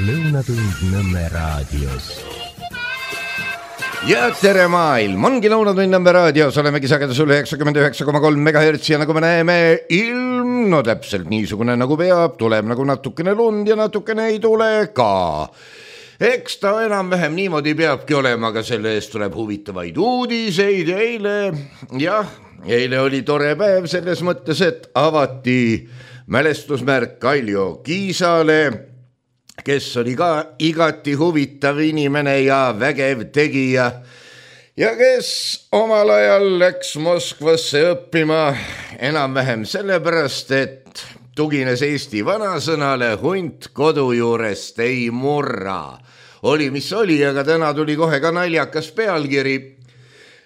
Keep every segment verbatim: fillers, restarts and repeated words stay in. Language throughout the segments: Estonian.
Lõunatund Nõmme raadios. Ja tere maailm, ongi Lõunatund Nõmme raadios, olemegi sagedusel üheksakümmend üheksa koma kolm megahertsi ja nagu me näeme, ilm no täpselt niisugune nagu peab, tuleb nagu natukene lund ja natukene ei tule ka. Eks ta enam-vähem niimoodi peabki olema, aga selle eest tuleb huvitavaid uudiseid. Eile, jah, eile oli tore päev selles mõttes, et avati mälestusmärk Kaljo Kiisale, kes oli ka igati huvitav inimene ja vägev tegija ja kes omal ajal läks Moskvasse õppima enam-vähem sellepärast, et tugines Eesti vanasõnale hunt kodu juurest ei murra. Oli mis oli, aga täna tuli kohe ka naljakas pealkiri,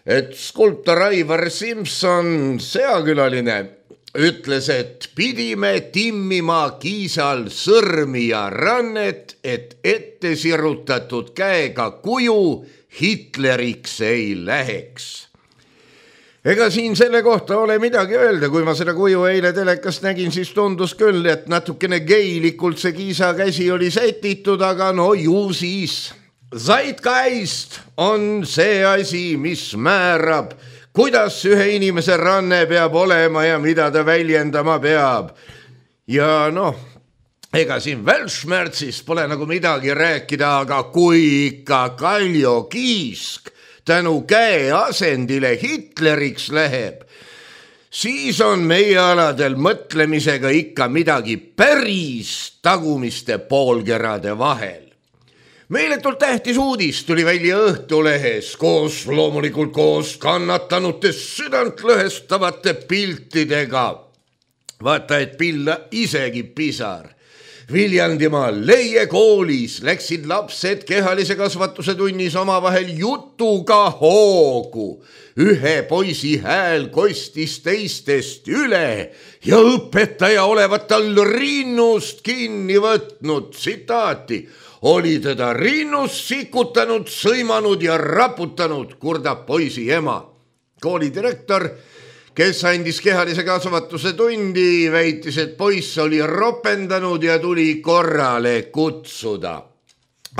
et skulptor Aivar Simson, seakülaline, ütles, et pidime timmima Kiisal sõrmi ja rannet, et ette sirutatud käega kuju Hitleriks ei läheks. Ega siin selle kohta ole midagi öelda, kui ma seda kuju eile telekast nägin, siis tundus küll, et natukene geilikult see Kiisa käsi oli sätitud, aga no ju siis. Zeitgeist on see asi, mis määrab, kuidas ühe inimese ranne peab olema ja mida ta väljendama peab. Ja noh, ega siin Vältšmärtsist pole nagu midagi rääkida, aga kui ikka Kaljo Kiisk tänu käe asendile Hitleriks läheb, siis on meie aladel mõtlemisega ikka midagi päris tagumiste poolkerade vahel. Meeletult tähtis uudis tuli välja Õhtulehes koos loomulikult koos kannatanute südant lõhestavate piltidega. Vaata, et pilla isegi pisar. Viljandimaa Leie koolis läksid lapsed kehalise kasvatuse tunnis omavahel jutuga hoogu. Ühe poisi hääl kostis teistest üle ja õpetaja olevat tal rinnust kinni võtnud. Tsitaati. Oli teda rinnust sikutanud, sõimanud ja raputanud, kurdab poisi ema. Kooli direktor, kes andis kehalise kasvatuse tundi, väitis, et poiss oli ropendanud ja tuli korrale kutsuda.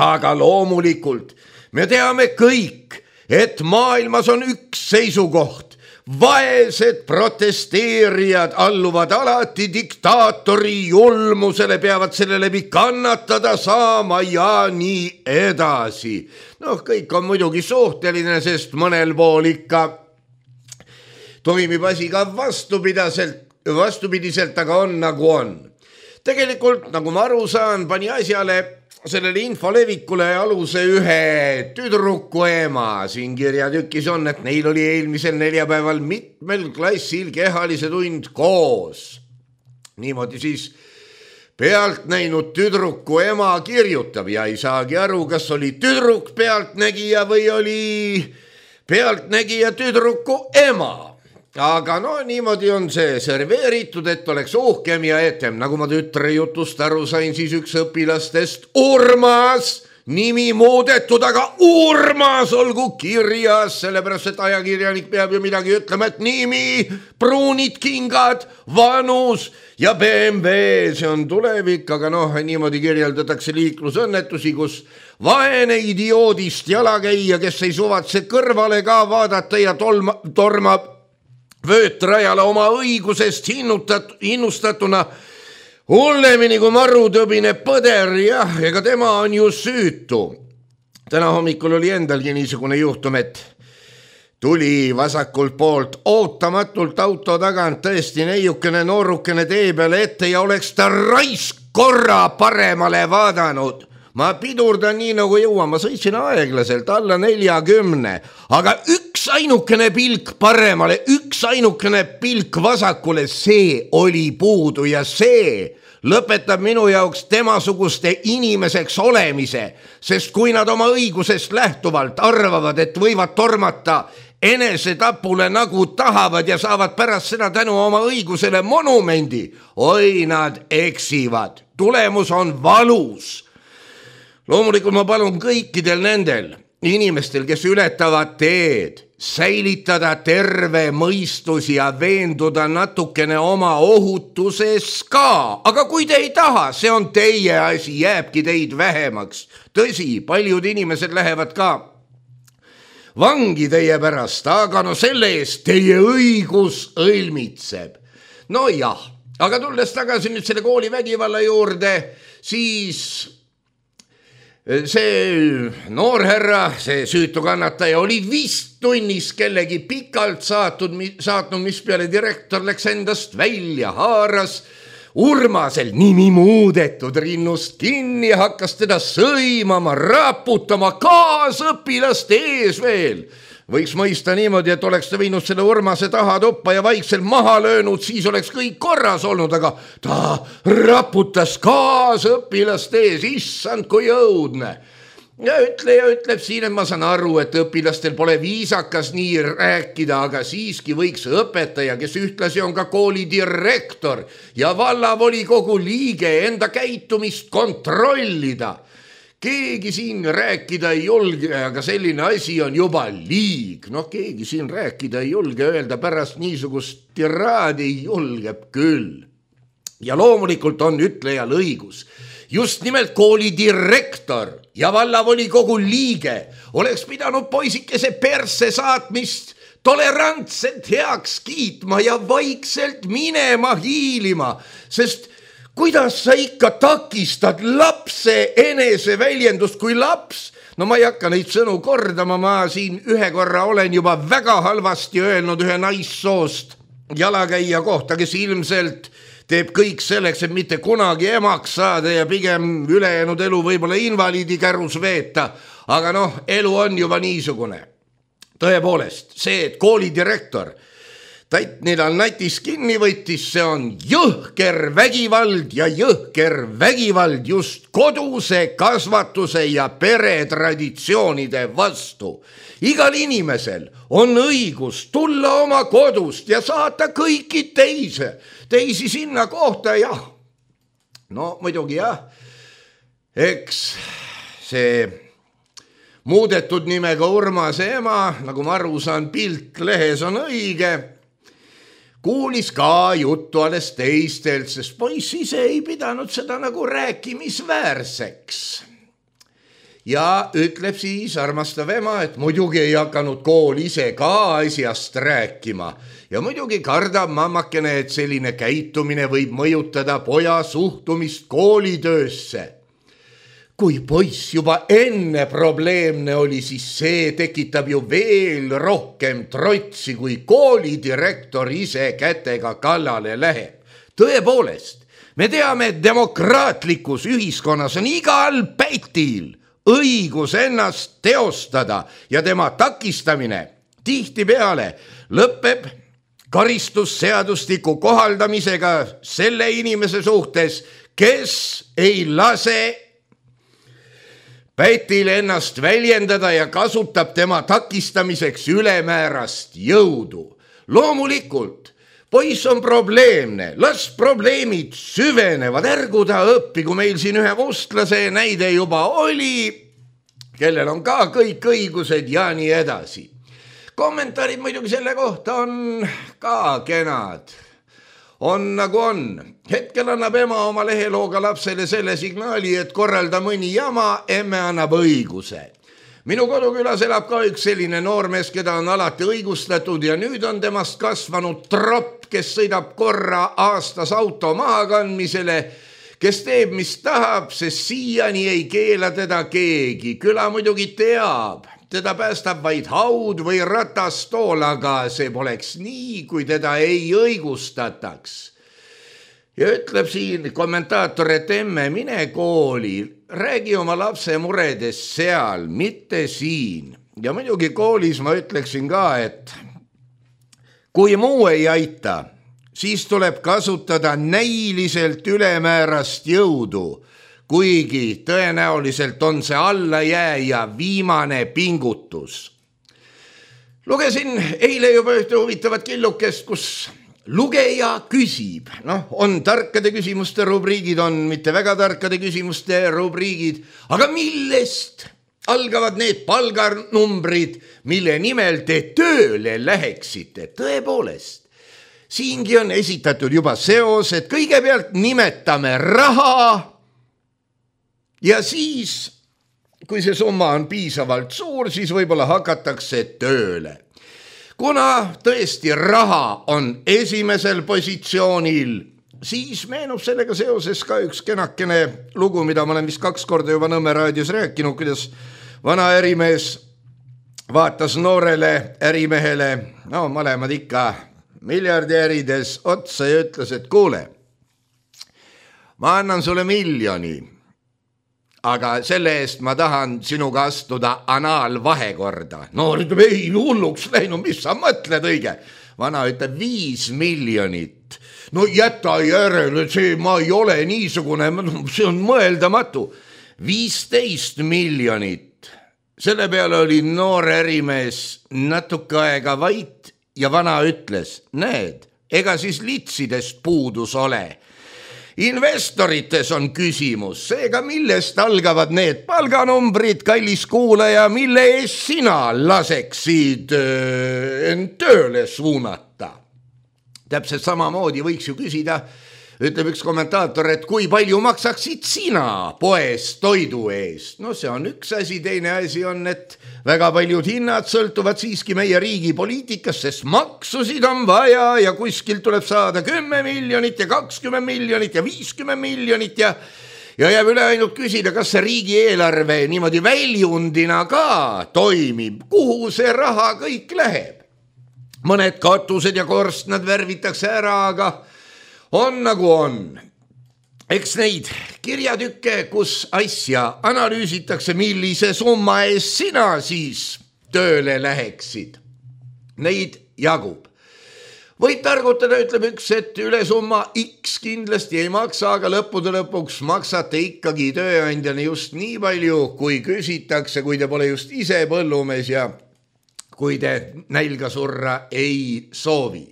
Aga loomulikult me teame kõik, et maailmas on üks seisukoht. Vaesed protesteerijad alluvad alati diktaatori julmusele, peavad selle läbi kannatada saama ja nii edasi. Noh, kõik on muidugi suhteline, sest mõnel pool ikka toimib asi ka vastupidaselt, vastupidiselt, aga on nagu on. Tegelikult, nagu ma aru saan, pani asjale sellele infolevikule aluse ühe tüdruku ema. Siin kirjatükis on, et neil oli eelmisel neljapäeval mitmel klassil kehalise tund koos. Niimoodi siis pealt näinud tüdruku ema kirjutab ja ei saagi aru, kas oli tüdruk pealtnägija või oli pealtnägija tüdruku ema. Aga no niimoodi on see serveeritud, et oleks uhkem ja etem. Nagu ma tütre jutust aru sain, siis üks õpilastest Urmas, nimi muudetud, aga Urmas olgu kirjas, sellepärast et ajakirjanik peab ju midagi ütlema, et nimi, pruunid kingad, vanus ja B M W, see on tulevik, aga noh, niimoodi kirjeldatakse liiklusõnnetusi, kus vaene idioodist jalakäija, kes ei suvatse kõrvale ka vaadata ja tolma, tormab vöötrajale oma õigusest hinnutat, hinnustatuna hullemini kui marutõbine põder, jah, ega tema on ju süütu. Täna hommikul oli endalgi niisugune juhtum, et tuli vasakult poolt ootamatult auto tagant tõesti neiukene noorukene tee peale ette ja oleks ta raisk korra paremale vaadanud. Ma pidurdan nii nagu jõuan, ma sõitsin aeglaselt alla neljakümne, aga üks ainukene pilk paremale, üks ainukene pilk vasakule, see oli puudu ja see lõpetab minu jaoks temasuguste inimeseks olemise, sest kui nad oma õigusest lähtuvalt arvavad, et võivad tormata enesetapule nagu tahavad ja saavad pärast seda tänu oma õigusele monumendi, oi nad eksivad, tulemus on valus. Loomulikult ma palun kõikidel nendel inimestel, kes ületavad teed, säilitada terve mõistus ja veenduda natukene oma ohutuses ka. Aga kui te ei taha, see on teie asi, jääbki teid vähemaks. Tõsi, paljud inimesed lähevad ka vangi teie pärast, aga no selle eest teie õigus õilmitseb. No jah, aga tulles tagasi nüüd selle kooli vägivalla juurde, siis see noorherra, see süütu kannataja oli vist tunnis kellegi pikalt saatnud, saatnud, mis peale direktor läks endast välja, haaras Urmasel nimi muudetud rinnust kinni ja hakkas teda sõimama, raputama kaasõpilaste ees veel. Võiks mõista niimoodi, et oleks ta viinud selle Urmase taha tuppa ja vaikselt maha löönud, siis oleks kõik korras olnud, aga ta raputas kaasõpilaste ees, issand kui õudne. Ja ütle ja ütleb siin, et ma saan aru, et õpilastel pole viisakas nii rääkida, aga siiski võiks õpetaja, kes ühtlasi on ka kooli direktor ja vallavolikogu liige, enda käitumist kontrollida. Keegi siin rääkida ei julge, aga selline asi on juba liig. Noh, keegi siin rääkida ei julge, öelda pärast niisugust tiraadi ei julgeb küll. Ja loomulikult on ütlejal õigus. Just nimelt kooli direktor ja vallavolikogu liige oleks pidanud poisikese perse saatmist tolerantselt heaks kiitma ja vaikselt minema hiilima, sest kuidas sa ikka takistad lapse eneseväljendust, kui laps, no ma ei hakka neid sõnu kordama, ma siin ühe korra olen juba väga halvasti öelnud ühe naissoost jalakäija kohta, kes ilmselt teeb kõik selleks, et mitte kunagi emaks saada ja pigem ülejäänud elu võib-olla invaliidi kärus veeta. Aga noh, elu on juba niisugune. Tõepoolest, see, et kooli direktor Tait Nidal natis kinni võttis, see on jõhker vägivald ja jõhker vägivald just koduse kasvatuse ja peretraditsioonide vastu. Igal inimesel on õigus tulla oma kodust ja saata kõiki teise, teisi sinna kohta, jah. No muidugi jah, eks see muudetud nimega Urmase ema, nagu ma aru saan, pilt lehes on õige, kuulis ka juttu alles teistelt, sest poiss ise ei pidanud seda nagu rääkimisväärseks. Ja ütleb siis armastav ema, et muidugi ei hakanud kool ise ka asjast rääkima. Ja muidugi kardab mammakene, et selline käitumine võib mõjutada poja suhtumist koolitöösse. Kui poiss juba enne probleemne oli, siis see tekitab ju veel rohkem trotsi, kui koolidirektor ise kätega kallale läheb. Tõepoolest, me teame, et demokraatlikus ühiskonnas on igal pätil õigus ennast teostada ja tema takistamine tihtipeale lõpeb karistusseadustiku kohaldamisega selle inimese suhtes, kes ei lase pätil ennast väljendada ja kasutab tema takistamiseks ülemäärast jõudu. Loomulikult, poiss on probleemne, las probleemid süvenevad, ärgu ta õppi, kui meil siin ühe mustlase näide juba oli, kellel on ka kõik õigused ja nii edasi. Kommentaarid muidugi selle kohta on ka kenad. On nagu on. Hetkel annab ema oma lehelooga lapsele selle signaali, et korralda mõni jama, emme annab õiguse. Minu kodukülas elab ka üks selline noormees, keda on alati õigustatud ja nüüd on temast kasvanud tropp, kes sõidab korra aastas auto mahakandmisele, kes teeb, mis tahab, sest siiani ei keela teda keegi. Küla muidugi teab. Teda päästab vaid haud või ratastool, aga see poleks nii, kui teda ei õigustataks. Ja ütleb siin kommentaator, et emme, mine kooli, räägi oma lapse muredes seal, mitte siin. Ja muidugi koolis ma ütleksin ka, et kui muu ei aita, siis tuleb kasutada näiliselt ülemäärast jõudu, kuigi tõenäoliselt on see allajääja viimane pingutus. Lugesin eile juba ühte huvitavat killukest, kus lugeja küsib. Noh, on tarkade küsimuste rubriigid, on mitte väga tarkade küsimuste rubriigid, aga millest algavad need palganumbrid, mille nimel te tööle läheksite. Tõepoolest, siingi on esitatud juba seos, et kõigepealt nimetame raha ja siis, kui see summa on piisavalt suur, siis võib-olla hakatakse tööle. Kuna tõesti raha on esimesel positsioonil, siis meenub sellega seoses ka üks kenakene lugu, mida ma olen vist kaks korda juba Nõmme raadios rääkinud, kuidas vana ärimees vaatas noorele ärimehele, no mõlemad ikka miljardärides otsa ja ütles, et kuule, ma annan sulle miljoni, aga selle eest ma tahan sinuga astuda anaalvahekorda. Noor ütleb, ei, hulluks läinud, mis sa mõtled õige? Vana ütleb, viis miljonit. No jäta järele, see ma ei ole niisugune, see on mõeldamatu. viisteist miljonit. Selle peale oli noor ärimees natuke aega vait ja vana ütles, näed, ega siis litsidest puudus ole. Investorites on küsimus, seega millest algavad need palganumbrid, kallis kuulaja, mille eest sina laseksid end tööle suunata. Täpselt samamoodi võiks ju küsida, ütleb üks kommentaator, et kui palju maksaksid sina poes toidu eest? No see on üks asi, teine asi on, et väga paljud hinnad sõltuvad siiski meie riigi poliitikast, sest maksusid on vaja ja kuskilt tuleb saada kümme miljonit ja kakskümmend miljonit ja viiskümmend miljonit ja, ja jääb üle ainult küsida, kas see riigieelarve niimoodi väljundina ka toimib, kuhu see raha kõik läheb. Mõned katused ja korstnad värvitakse ära, aga on nagu on. Eks neid kirjatükke, kus asja analüüsitakse, millise summa eest sina siis tööle läheksid. Neid jagub. Võid targutada, ütleb üks, et üle summa X kindlasti ei maksa, aga lõppude lõpuks maksate ikkagi tööandjani just nii palju, kui küsitakse, kui te pole just ise põllumees ja kui te nälga surra ei soovi.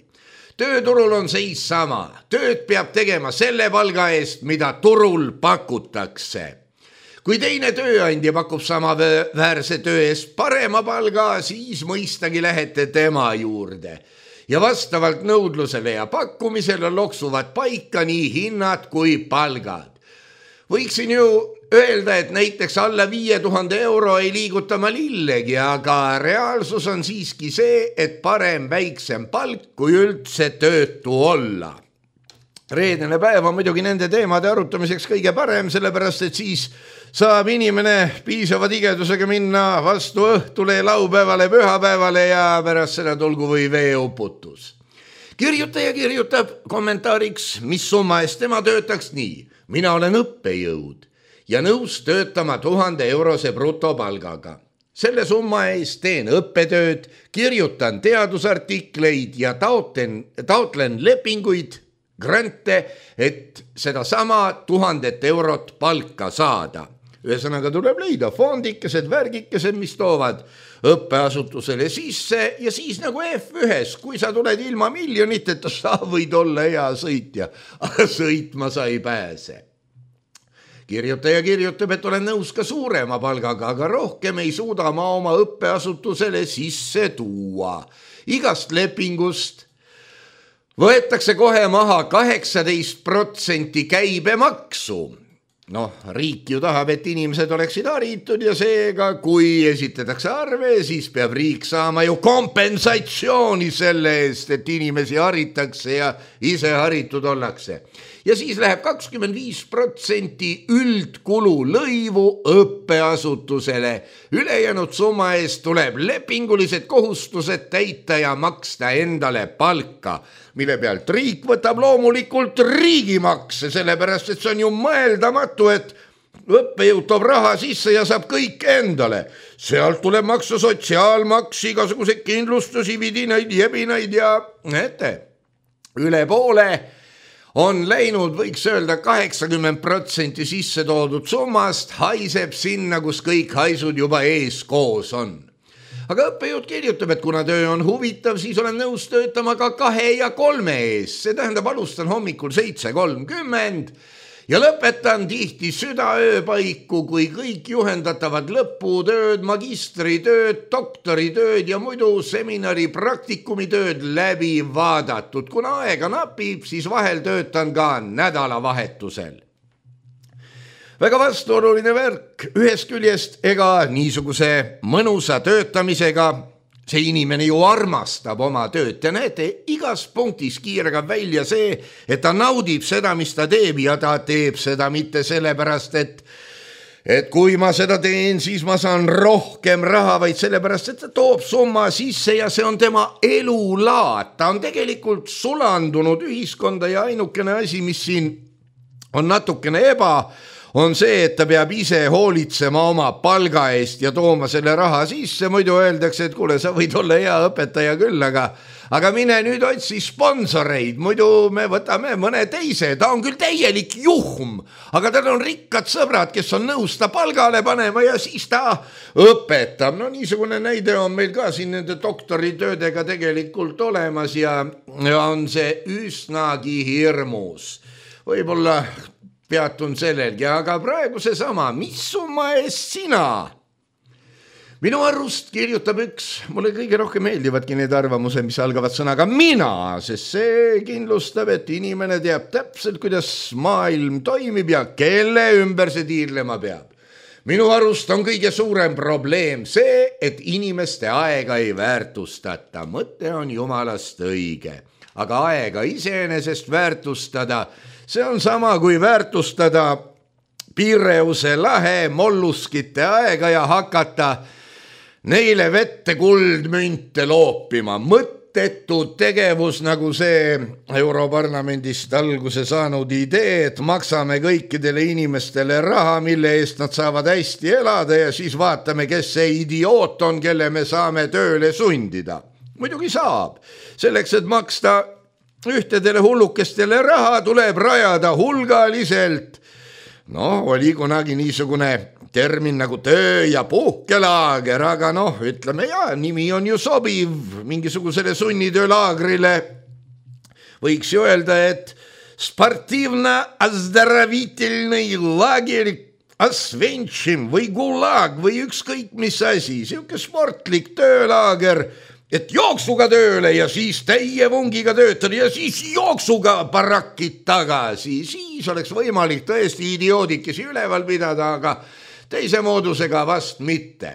Tööturul on seis sama. Tööd peab tegema selle palga eest, mida turul pakutakse. Kui teine tööandja pakub samaväärse töö eest parema palga, siis mõistagi lähete tema juurde. Ja vastavalt nõudlusele ja pakkumisele loksuvad paika nii hinnad kui palgad. Võiksin ju öelda, et näiteks alla viie tuhande euro ei liiguta ma lillegi, aga reaalsus on siiski see, et parem väiksem palk, kui üldse töötu olla. Reedene päev on muidugi nende teemade arutamiseks kõige parem, sellepärast et siis saab inimene piisava tigedusega minna vastu õhtule, laupäevale, pühapäevale ja pärast seda tulgu või veeuputus. Kirjutaja kirjutab kommentaariks, mis summa eest tema töötaks nii. Mina olen õppejõud ja nõus töötama tuhande eurose brutopalgaga. Selle summa eest teen õppetööd, kirjutan teadusartikleid ja taotlen, taotlen lepinguid, grante, et seda sama tuhandet eurot palka saada. Ühesõnaga tuleb leida fondikesed, värgikesed, mis toovad õppeasutusele sisse ja siis nagu F ühes, kui sa tuled ilma miljoniteta, sa võid olla hea sõitja, aga sõitma sa ei pääse. Kirjutaja kirjutab, et olen nõus ka suurema palgaga, aga rohkem ei suuda ma oma õppeasutusele sisse tuua. Igast lepingust võetakse kohe maha kaheksateist protsenti käibemaksu. Noh, riik ju tahab, et inimesed oleksid haritud ja seega, kui esitatakse arve, siis peab riik saama ju kompensatsiooni selle eest, et inimesi haritakse ja ise haritud ollakse. Ja siis läheb kakskümmend viis protsenti üldkulu lõivu õppeasutusele. Ülejäänud summa eest tuleb lepingulised kohustused täita ja maksta endale palka, mille pealt riik võtab loomulikult riigimakse, sellepärast et see on ju mõeldamatu, et õppejõud toob raha sisse ja saab kõik endale. Sealt tuleb maksa sotsiaalmaks, igasuguseid kindlustusi, vidinaid, jebinaid ja ette. Üle poole on läinud, võiks öelda, kaheksakümmend protsenti sisse toodud summast, haiseb sinna, kus kõik haisud juba ees koos on. Aga õppejõud kirjutab, et kuna töö on huvitav, siis olen nõus töötama ka kahe ja kolme ees. See tähendab, alustan hommikul seitse kolmkümmend ja lõpetan tihti südaööpaiku, kui kõik juhendatavad lõputööd, magistritööd, doktoritööd ja muidu seminari praktikumitööd läbi vaadatud. Kuna aega napib, siis vahel töötan ka nädalavahetusel. Väga vastuoluline värk ühest küljest, ega niisuguse mõnusa töötamisega see inimene ju armastab oma tööd. Te näete, igas punktis kiirgab välja see, et ta naudib seda, mis ta teeb ja ta teeb seda mitte sellepärast, et, et kui ma seda teen, siis ma saan rohkem raha, vaid sellepärast, et ta toob summa sisse ja see on tema elulaad. Ta on tegelikult sulandunud ühiskonda ja ainukene asi, mis siin on natukene eba, on see, et ta peab ise hoolitsema oma palga eest ja tooma selle raha sisse. Muidu öeldakse, et kuule, sa võid olla hea õpetaja küll, aga, aga mine nüüd otsi sponsoreid, muidu me võtame mõne teise. Ta on küll täielik juhm, aga tal on rikkad sõbrad, kes on nõus ta palgale panema ja siis ta õpetab. No niisugune näide on meil ka siin nende doktoritöödega tegelikult olemas ja, ja on see üsnagi hirmus. Võib-olla peatun sellelgi, aga praegu see sama, mis summa eest sina? Minu arust kirjutab üks, mulle kõige rohkem meeldivadki need arvamused, mis algavad sõnaga mina, sest see kindlustab, et inimene teab täpselt, kuidas maailm toimib ja kelle ümber see tiirlema peab. Minu arust on kõige suurem probleem see, et inimeste aega ei väärtustata. Mõte on jumalast õige, aga aega iseenesest väärtustada, see on sama kui väärtustada Pireuse lahe molluskite aega ja hakata neile vette kuldmünte loopima. Mõttetu tegevus nagu see Europarlamendist alguse saanud idee, et maksame kõikidele inimestele raha, mille eest nad saavad hästi elada ja siis vaatame, kes see idioot on, kelle me saame tööle sundida. Muidugi saab. Selleks, et maksta ühtedele hullukestele raha, tuleb rajada hulgaliselt. No, oli kunagi niisugune termin nagu töö- ja puhkelaager, aga noh, ütleme ja, nimi on ju sobiv mingisugusele sunnitöölaagrile. Võiks ju öelda, et sportiivna-azdravitelnõi laageri Asvenšim või gulag või ükskõik mis asi, siuke sportlik töölaager, et jooksuga tööle ja siis täie vungiga töötada ja siis jooksuga barakid tagasi. Siis oleks võimalik tõesti idioodikesi üleval pidada, aga teise moodusega vast mitte.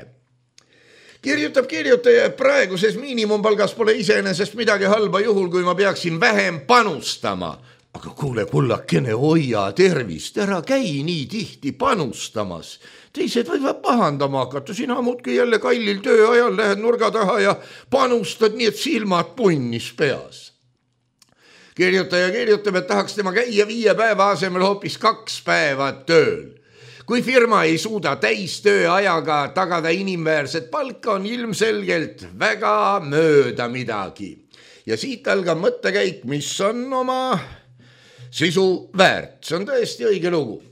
Kirjutab kirjutaja, et praeguses miinimumpalgas pole iseenesest midagi halba juhul, kui ma peaksin vähem panustama. Aga kuule, kullakene, hoia tervist, ära käi nii tihti panustamas. Teised võivad pahandama hakata, sina muudki jälle kallil tööajal lähed nurga taha ja panustad nii, et silmad punnis peas. Kirjutaja kirjutab, et tahaks tema käia viie päeva asemel hoopis kaks päeva tööl. Kui firma ei suuda täistööajaga tagada inimväärset palka, on ilmselgelt väga mööda midagi. Ja siit algab mõttekäik, mis on oma sisu väärt. See on tõesti õige lugu.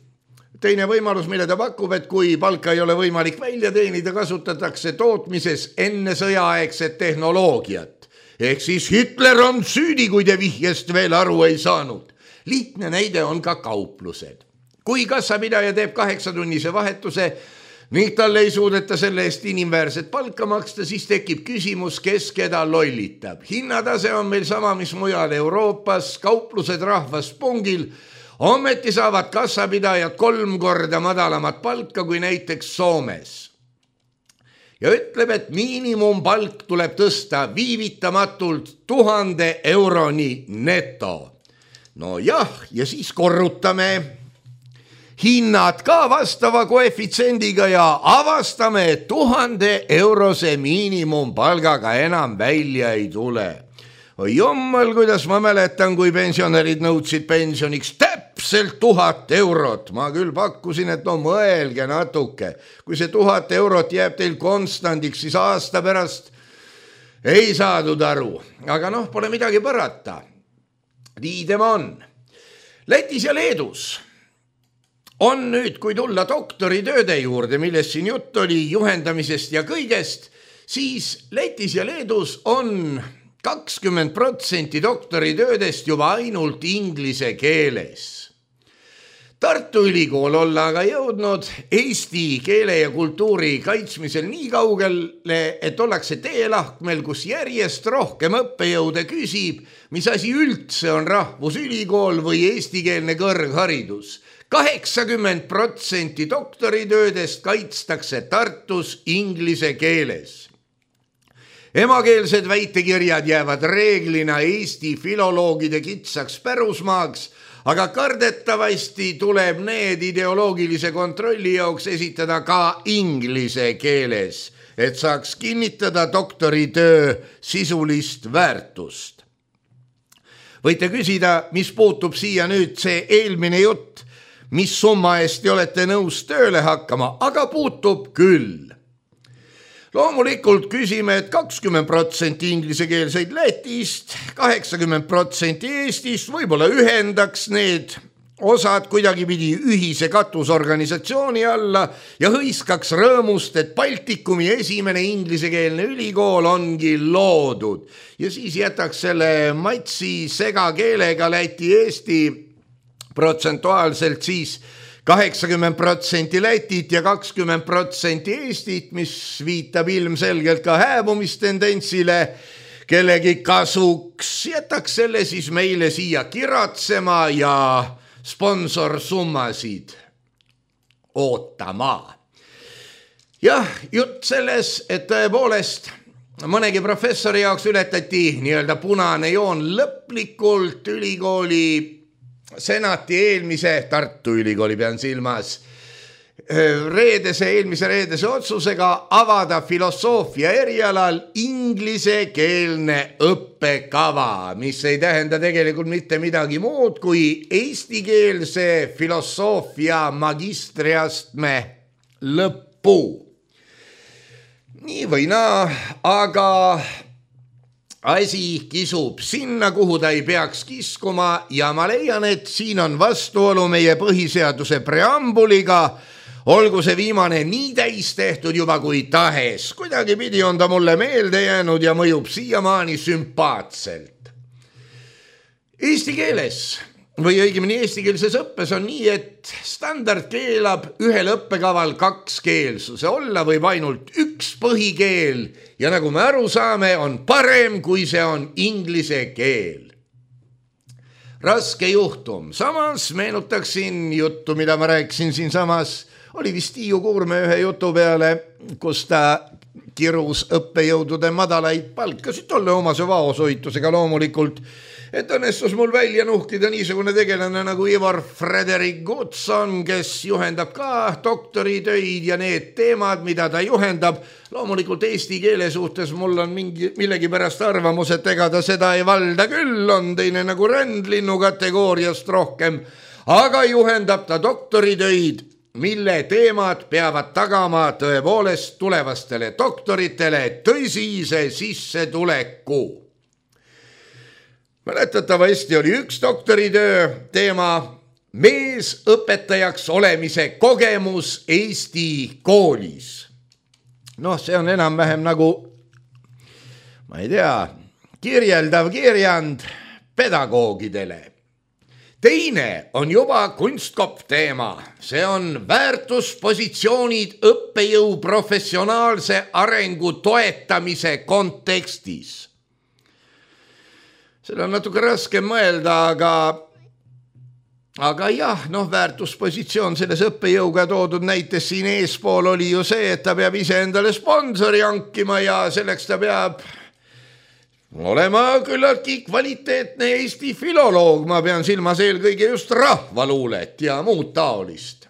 Teine võimalus, mille ta pakub, et kui palka ei ole võimalik välja teenida, kasutatakse tootmises enne sõjaaegset tehnoloogiat. Ehk siis Hitler on süüdi, kui te vihjest veel aru ei saanud. Lihtne näide on ka kauplused. Kui kassapidaja teeb kaheksatunnise vahetuse ning talle ei suudeta selle eest inimväärset palka maksta, siis tekib küsimus, kes keda lollitab. Hinnatase on meil sama, mis mujal Euroopas, kauplused rahvas pungil. Ometi saavad kassapidajad kolm korda madalamat palka kui näiteks Soomes. Ja ütleb, et miinimumpalk tuleb tõsta viivitamatult tuhande euroni neto. No jah, ja siis korrutame hinnad ka vastava koefitsiendiga ja avastame, et tuhande eurose miinimumpalgaga enam välja ei tule. Oi jummal, kuidas ma mäletan, kui pensionärid nõudsid pensioniks täpselt tuhat eurot. Ma küll pakkusin, et no mõelge natuke. Kui see tuhat eurot jääb teil konstandiks, siis aasta pärast ei saadud aru. Aga noh, pole midagi parata. Nii tema on. Lätis ja Leedus on nüüd, kui tulla doktoritööde juurde, millest siin jutt oli juhendamisest ja kõigest, siis Lätis ja Leedus on kakskümmend protsenti doktoritöödest juba ainult inglise keeles. Tartu Ülikool olla aga jõudnud eesti keele ja kultuuri kaitsmisel nii kaugele, et ollakse teelahkmel, kus järjest rohkem õppejõude küsib, mis asi üldse on rahvusülikool või eestikeelne kõrgharidus. kaheksakümmend protsenti doktoritöödest kaitstakse Tartus inglise keeles. Emakeelsed väitekirjad jäävad reeglina Eesti filoloogide kitsaks pärusmaaks, aga kardetavasti tuleb need ideoloogilise kontrolli jaoks esitada ka inglise keeles, et saaks kinnitada doktoritöö sisulist väärtust. Võite küsida, mis puutub siia nüüd see eelmine jutt, mis summa eest olete nõus tööle hakkama, aga puutub küll. Loomulikult küsime, et kakskümmend protsenti inglisekeelseid Lätist, kaheksakümmend protsenti Eestist, võib-olla ühendaks need osad kuidagipidi ühise katusorganisatsiooni alla ja hõiskaks rõõmust, et Baltikumi esimene inglisekeelne ülikool ongi loodud. Ja siis jätaks selle matsi segakeelega Läti-Eesti protsentuaalselt siis kaheksakümmend protsenti Lätit ja kakskümmend protsenti Eestit, mis viitab ilmselgelt ka hääbumistendentsile kellegi kasuks. Jätaks selle siis meile siia kiratsema ja sponsorsummasid ootama. Jah, jutt selles, et tõepoolest mõnegi professori jaoks ületati nii-öelda punane joon lõplikult ülikooli senati eelmise, Tartu Ülikooli pean silmas, reedese, eelmise reedese otsusega avada filosoofia erialal inglisekeelne õppekava, mis ei tähenda tegelikult mitte midagi muud kui eestikeelse filosoofia magistriastme lõppu. Nii või naa, aga asi kisub sinna, kuhu ta ei peaks kiskuma ja ma leian, et siin on vastuolu meie põhiseaduse preambuliga, olgu see viimane nii täis tehtud juba kui tahes. Kuidagipidi on ta mulle meelde jäänud ja mõjub siiamaani sümpaatselt. Eesti keeles või õigemini eestikeelses õppes on nii, et standard keelab ühel õppekaval kaks keelsuse. Olla võib ainult üks põhikeel ja nagu me aru saame, on parem, kui see on inglise keel. Raske juhtum. Samas meenutaksin juttu, mida ma rääkisin siin samas. Oli vist Tiiu Kuurme ühe jutu peale, kus ta kirus õppejõudude madalaid palkasid tolle omase vaosoitusega loomulikult, et õnnestus mul välja nuhtida niisugune tegelane nagu Ivar Frederik Goodson, kes juhendab ka doktoritöid ja need teemad, mida ta juhendab. Loomulikult eesti keele suhtes mul on mingi, millegi pärast arvamus, et ega ta seda ei valda küll, on teine nagu rändlinnu kategooriast rohkem, aga juhendab ta doktoritöid, mille teemad peavad tagama tõepoolest tulevastele doktoritele tõsise sissetuleku. Mäletatavasti oli üks doktoritöö teema mees õpetajaks olemise kogemus Eesti koolis. Noh, see on enam-vähem nagu, ma ei tea, kirjeldav kirjand pedagoogidele. Teine on juba kunstkopp teema. See on väärtuspositsioonid õppejõu professionaalse arengu toetamise kontekstis. Seda on natuke raske mõelda, aga, aga jah, noh, väärtuspositsioon selles õppejõuga toodud näites siin eespool oli ju see, et ta peab ise endale sponsori hankima ja selleks ta peab olema küllaltki kvaliteetne Eesti filoloog. Ma pean silmas eelkõige just rahvaluulet ja muud taolist.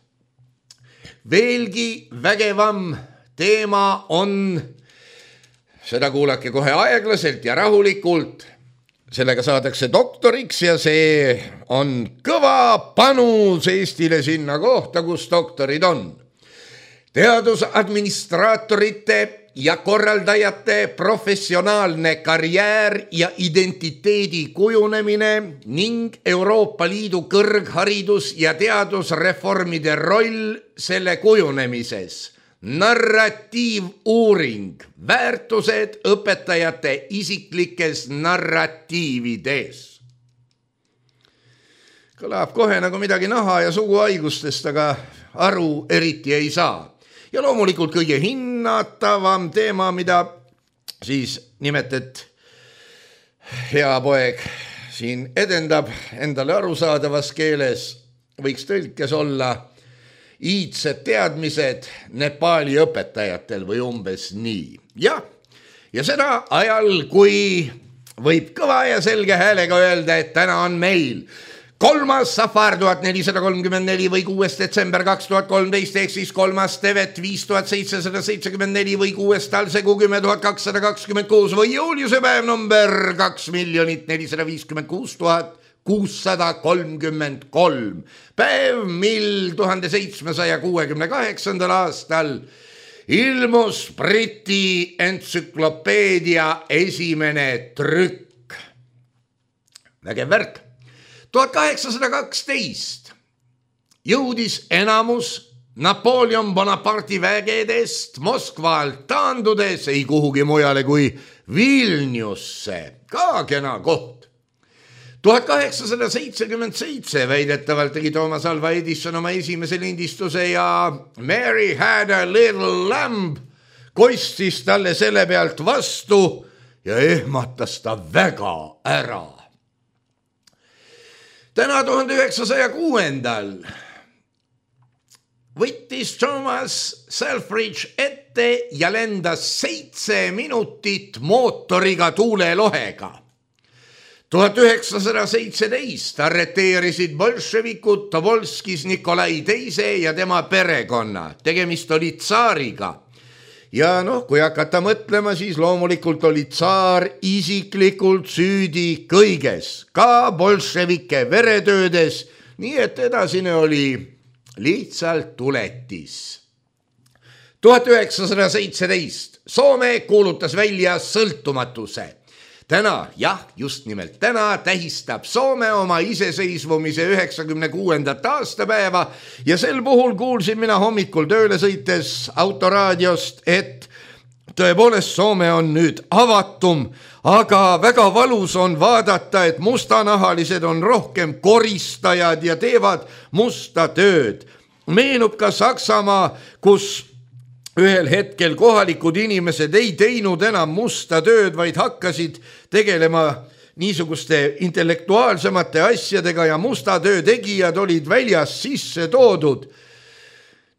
Veelgi vägevam teema on, seda kuulake kohe aeglaselt ja rahulikult, sellega saadakse doktoriks ja see on kõva panus Eestile sinna kohta, kus doktorid on. Teadusadministraatorite ja korraldajate professionaalne karjäär ja identiteedi kujunemine ning Euroopa Liidu kõrgharidus- ja teadusreformide roll selle kujunemises. Narratiivuuring, väärtused õpetajate isiklikes narratiivides. kõlab kohe nagu midagi naha ja suguhaigustest, aga aru eriti ei saa. Ja loomulikult kõige hinnatavam teema, mida siis nimetet hea poeg siin edendab endale arusaadavas keeles, võiks tõlkes olla iidsed teadmised Nepaali õpetajatel või umbes nii. Ja, ja seda ajal, kui võib kõva ja selge häälega öelda, et täna on meil kolmas Safar tuhat nelisada kolmkümmend neli või kuues detsember kaks tuhat kolmteist ehk siis kolmas Tevet viis tuhat seitsesada seitsekümmend neli või kuues Talsegu kümme tuhat kakssada kakskümmend kuus või Juliuse päev number kaks miljonit nelisada viiskümmend kuus tuhat kuussada kolmkümmend kolm. Päev, mil tuhande seitsmesaja kuuekümne kaheksandal aastal ilmus Briti entsüklopeedia esimene trükk. Vägev värk. tuhat kaheksasada kaksteist jõudis enamus Napoleon Bonaparte'i vägedest Moskvalt taandudes ei kuhugi mujale kui Vilniusse, ka kena koht. tuhat kaheksasada seitsekümmend seitse väidetavalt tegi Thomas Alva Edison oma esimese lindistuse ja Mary had a little lamb kostis talle selle pealt vastu ja ehmatas ta väga ära. Täna tuhande üheksasaja kuuendal võttis Thomas Selfridge ette ja lendas seitse minutit mootoriga tuulelohega. tuhat üheksasada seitseteist arreteerisid bolševikud Tobolskis Nikolai teise ja tema perekonna. Tegemist oli tsaariga. Ja noh, kui hakata mõtlema, siis loomulikult oli tsaar isiklikult süüdi kõiges, ka bolševike veretöödes, nii et edasine oli lihtsalt tuletis. tuhat üheksasada seitseteist Soome kuulutas välja sõltumatuse. Täna, jah, just nimelt täna tähistab Soome oma iseseisvumise üheksakümne kuuendat aastapäeva ja sel puhul kuulsin mina hommikul tööle sõites autoraadiost, et tõepoolest Soome on nüüd avatum, aga väga valus on vaadata, et mustanahalised on rohkem koristajad ja teevad musta tööd. Meenub ka Saksamaa, kus ühel hetkel kohalikud inimesed ei teinud enam musta tööd, vaid hakkasid tegelema niisuguste intellektuaalsemate asjadega ja musta töö tegijad olid väljas sisse toodud.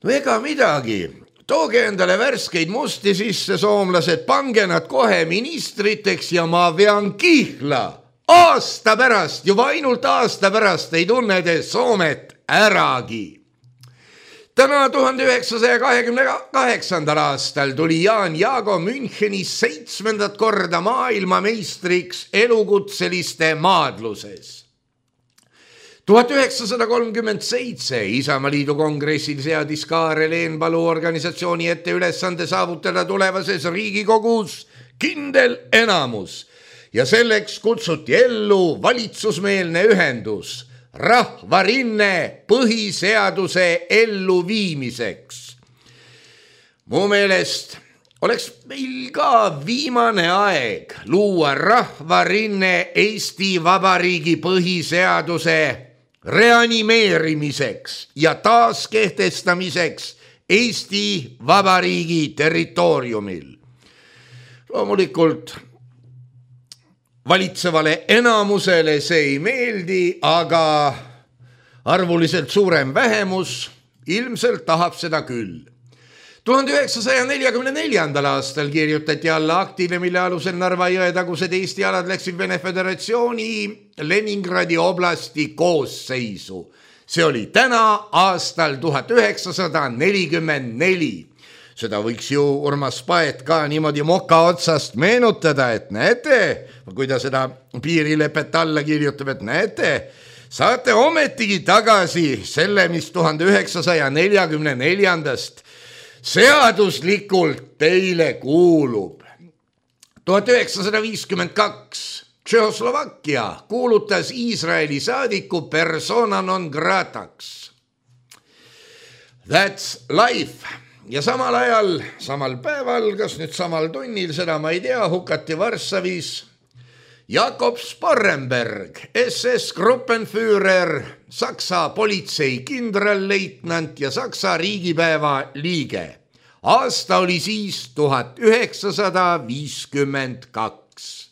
No ega midagi, tooge endale värskeid musti sisse, soomlased, pange nad kohe ministriteks ja ma vean kihla. Aasta pärast, juba ainult aasta pärast ei tunne te Soomet äragi. Täna tuhande üheksasaja kahekümne kaheksandal aastal tuli Jaan Jaago Münchenis seitsmendat korda maailmameistriks elukutseliste maadluses. tuhat üheksasada kolmkümmend seitse Isamaaliidu kongressil seadis Kaarel Eenpalu organisatsiooni ette ülesande saavutada tulevases Riigikogus kindel enamus ja selleks kutsuti ellu valitsusmeelne ühendus Rahvarinne põhiseaduse elluviimiseks. Mu meelest oleks meil ka viimane aeg luua Rahvarinne Eesti Vabariigi põhiseaduse reanimeerimiseks ja taaskehtestamiseks Eesti Vabariigi territooriumil. Loomulikult valitsevale enamusele see ei meeldi, aga arvuliselt suurem vähemus ilmselt tahab seda küll. tuhande üheksasaja neljakümne neljandal aastal kirjutati alla aktile, mille alusel Narva jõetagused Eesti alad läksid Vene Föderatsiooni Leningradi oblasti koosseisu. See oli täna aastal tuhat üheksasada nelikümmend neli. Seda võiks ju Urmas Paet ka niimoodi moka otsast meenutada, et näete, kui ta seda piirilepet alla kirjutab, et näete, saate ometigi tagasi selle, mis tuhande üheksasaja neljakümne neljandast seaduslikult teile kuulub. tuhat üheksasada viiskümmend kaks Tšehhoslovakkia kuulutas Iisraeli saadiku persona non grataks. That's life. Ja samal ajal, samal päeval, kas nüüd samal tunnil, seda ma ei tea, hukati Varssavis Jakob Sparrenberg, S S Gruppenführer, Saksa politsei kindralleitnant ja Saksa riigipäeva liige. Aasta oli siis tuhat üheksasada viiskümmend kaks.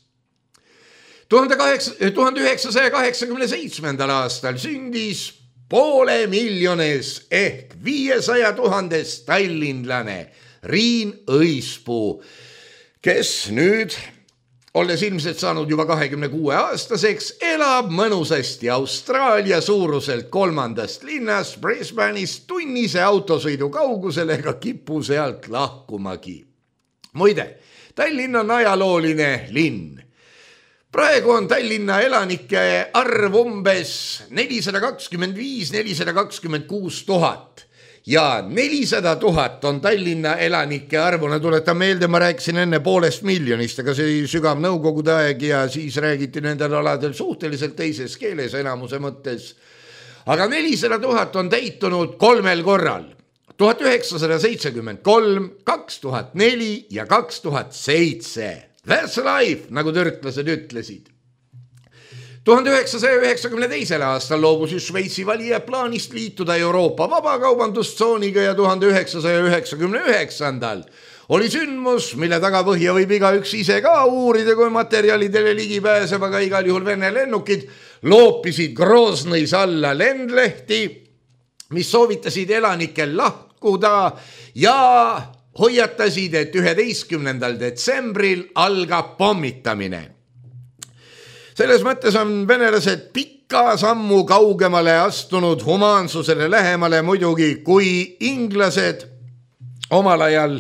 tuhande üheksasaja kaheksakümne seitsmendal aastal sündis poole miljones ehk viiesaja tuhandes tallinlane Riin Õispuu, kes nüüd, olles ilmselt saanud juba kahekümne kuue aastaseks, elab mõnusasti Austraalia suuruselt kolmandast linnast Brisbane'ist tunnise autosõidu kaugusel ega kipu sealt lahkumagi. Muide, Tallinn on ajalooline linn. Praegu on Tallinna elanike arv umbes nelisada kakskümmend viis kuni nelisada kakskümmend kuus tuhat ja nelisada tuhat on Tallinna elanike arvuna. Tuletan meelde, ma rääkisin enne poolest miljonist, aga see oli sügav nõukogude aeg ja siis räägiti nendel aladel suhteliselt teises keeles enamuse mõttes. Aga nelisada tuhat on täitunud kolmel korral. tuhat üheksasada seitsekümmend kolm, kaks tuhat neli ja kaks tuhat seitse. That's life, nagu törtlased ütlesid. tuhande üheksasaja üheksakümne teisel aastal loobus Šveitsi valija plaanist liituda Euroopa vabakaubandustsooniga ja tuhande üheksasaja üheksakümne üheksandal oli sündmus, mille tagapõhja võib igaüks ise ka uurida, kui materjalidele ligi pääseb, aga igal juhul Vene lennukid loopisid Groznõis alla lendlehti, mis soovitasid elanikel lahkuda ja hoiatasid, et üheteistkümnendal detsembril algab pommitamine. Selles mõttes on venelased pikka sammu kaugemale astunud humaansusele lähemale muidugi kui inglased omal ajal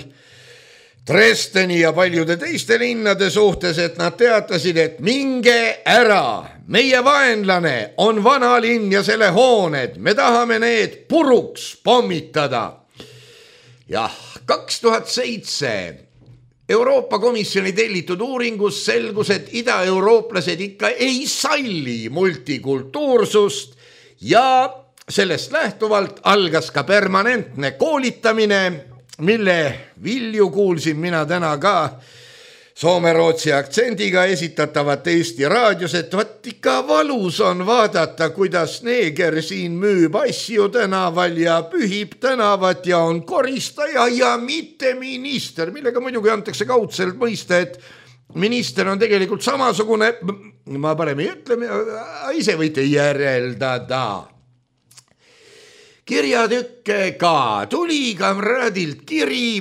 Dresdeni ja paljude teiste linnade suhtes, et nad teatasid, et minge ära, meie vaenlane on vana linn ja selle hooned, me tahame need puruks pommitada. Jah, kaks tuhat seitse Euroopa Komisjoni tellitud uuringus selgus, et ida-eurooplased ikka ei salli multikultuursust ja sellest lähtuvalt algas ka permanentne koolitamine, mille vilju kuulsin mina täna ka soome-rootsi aktsendiga esitatavat Eesti raadios, et vaat ikka valus on vaadata, kuidas neeger siin müüb asju tänaval ja pühib tänavat ja on koristaja ja mitte minister, millega muidugi antakse kaudselt mõista, et minister on tegelikult samasugune, ma parem ei ütle, ise võite järeldada. Kirjatükke ka tuli kamraadilt kiri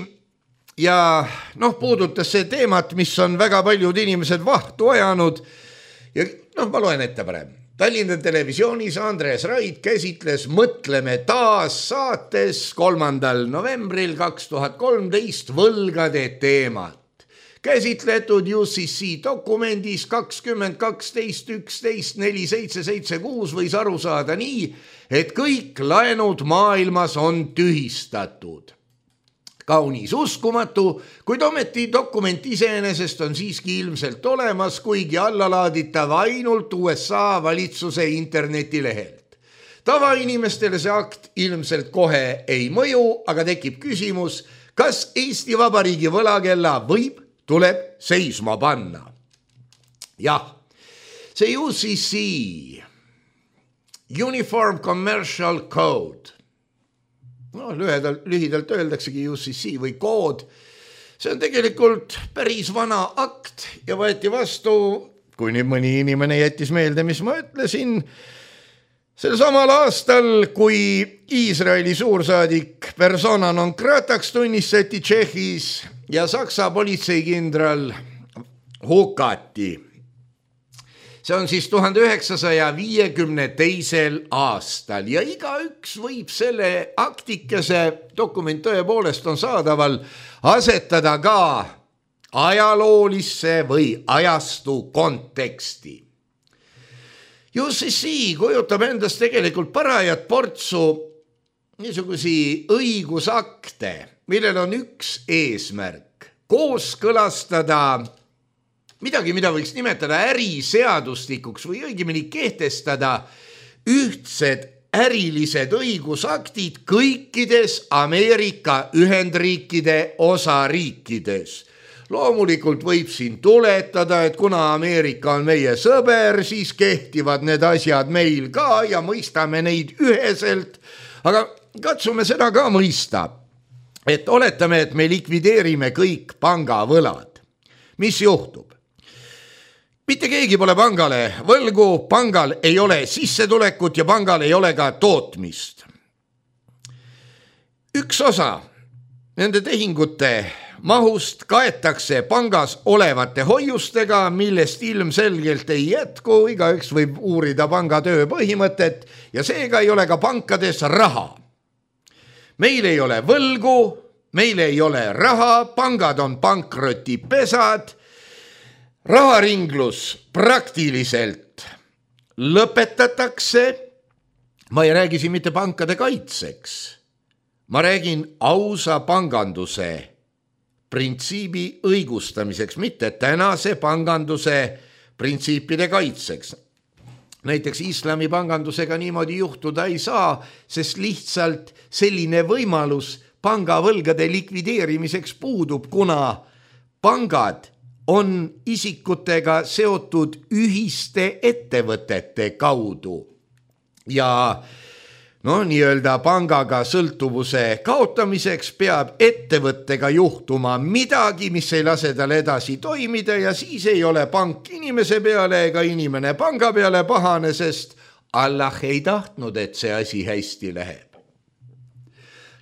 ja noh, puudutas see teemat, mis on väga paljud inimesed vahtu ajanud ja noh, ma loen ette parem. Tallinna televisioonis Andres Raid käsitles Mõtleme taas saates kolmandal novembril kaks tuhat kolmteist võlgade teemat. Käsitletud U C C dokumendis kakskümmend kaksteist üksteist neli seitse seitse kuus võis aru saada nii, et kõik laenud maailmas on tühistatud. Kaunis uskumatu, kuid ometi dokument iseenesest on siiski ilmselt olemas, kuigi allalaaditav ainult U S A valitsuse internetilehelt. Tavainimestele see akt ilmselt kohe ei mõju, aga tekib küsimus, kas Eesti Vabariigi võlakella võib, tuleb seisma panna. Jah, see U C C, Uniform Commercial Code, no lühidalt, lühidalt öeldaksegi U C C või kood, see on tegelikult päris vana akt ja võeti vastu, kui nüüd mõni inimene jättis meelde, mis ma ütlesin, sel samal aastal, kui Iisraeli suursaadik persona non grataks tunnistati Tšehhis ja Saksa politseikindral hukati. See on siis tuhande üheksasaja viiekümne teisel aastal ja igaüks võib selle aktikese, dokument tõepoolest on saadaval, asetada ka ajaloolisse või ajastu konteksti. U C C kujutab endast tegelikult parajat portsu niisugusi õigusakte, millel on üks eesmärk, kooskõlastada midagi, mida võiks nimetada äriseadustikuks või õigemini kehtestada ühtsed ärilised õigusaktid kõikides Ameerika Ühendriikide osariikides. loomulikult võib siin tuletada, et kuna Ameerika on meie sõber, siis kehtivad need asjad meil ka ja mõistame neid üheselt, aga katsume seda ka mõista, et oletame, et me likvideerime kõik pangavõlad. Mis juhtub? Mitte keegi pole pangale võlgu, pangal ei ole sissetulekut ja pangal ei ole ka tootmist. Üks osa nende tehingute mahust kaetakse pangas olevate hoiustega, millest ilmselgelt ei jätku, igaüks võib uurida panga töö põhimõtet ja seega ei ole ka pankades raha. Meil ei ole võlgu, meil ei ole raha, pangad on pankrotipesad, raharinglus praktiliselt lõpetatakse. Ma ei räägi siin mitte pankade kaitseks. Ma räägin ausa panganduse printsiibi õigustamiseks, mitte tänase panganduse printsiipide kaitseks. Näiteks islami pangandusega niimoodi juhtuda ei saa, sest lihtsalt selline võimalus pangavõlgade likvideerimiseks puudub, kuna pangad on isikutega seotud ühiste ettevõtete kaudu ja no nii-öelda pangaga sõltuvuse kaotamiseks peab ettevõttega juhtuma midagi, mis ei lase tal edasi toimida ja siis ei ole pank inimese peale ega inimene panga peale pahane, sest Allah ei tahtnud, et see asi hästi läheb.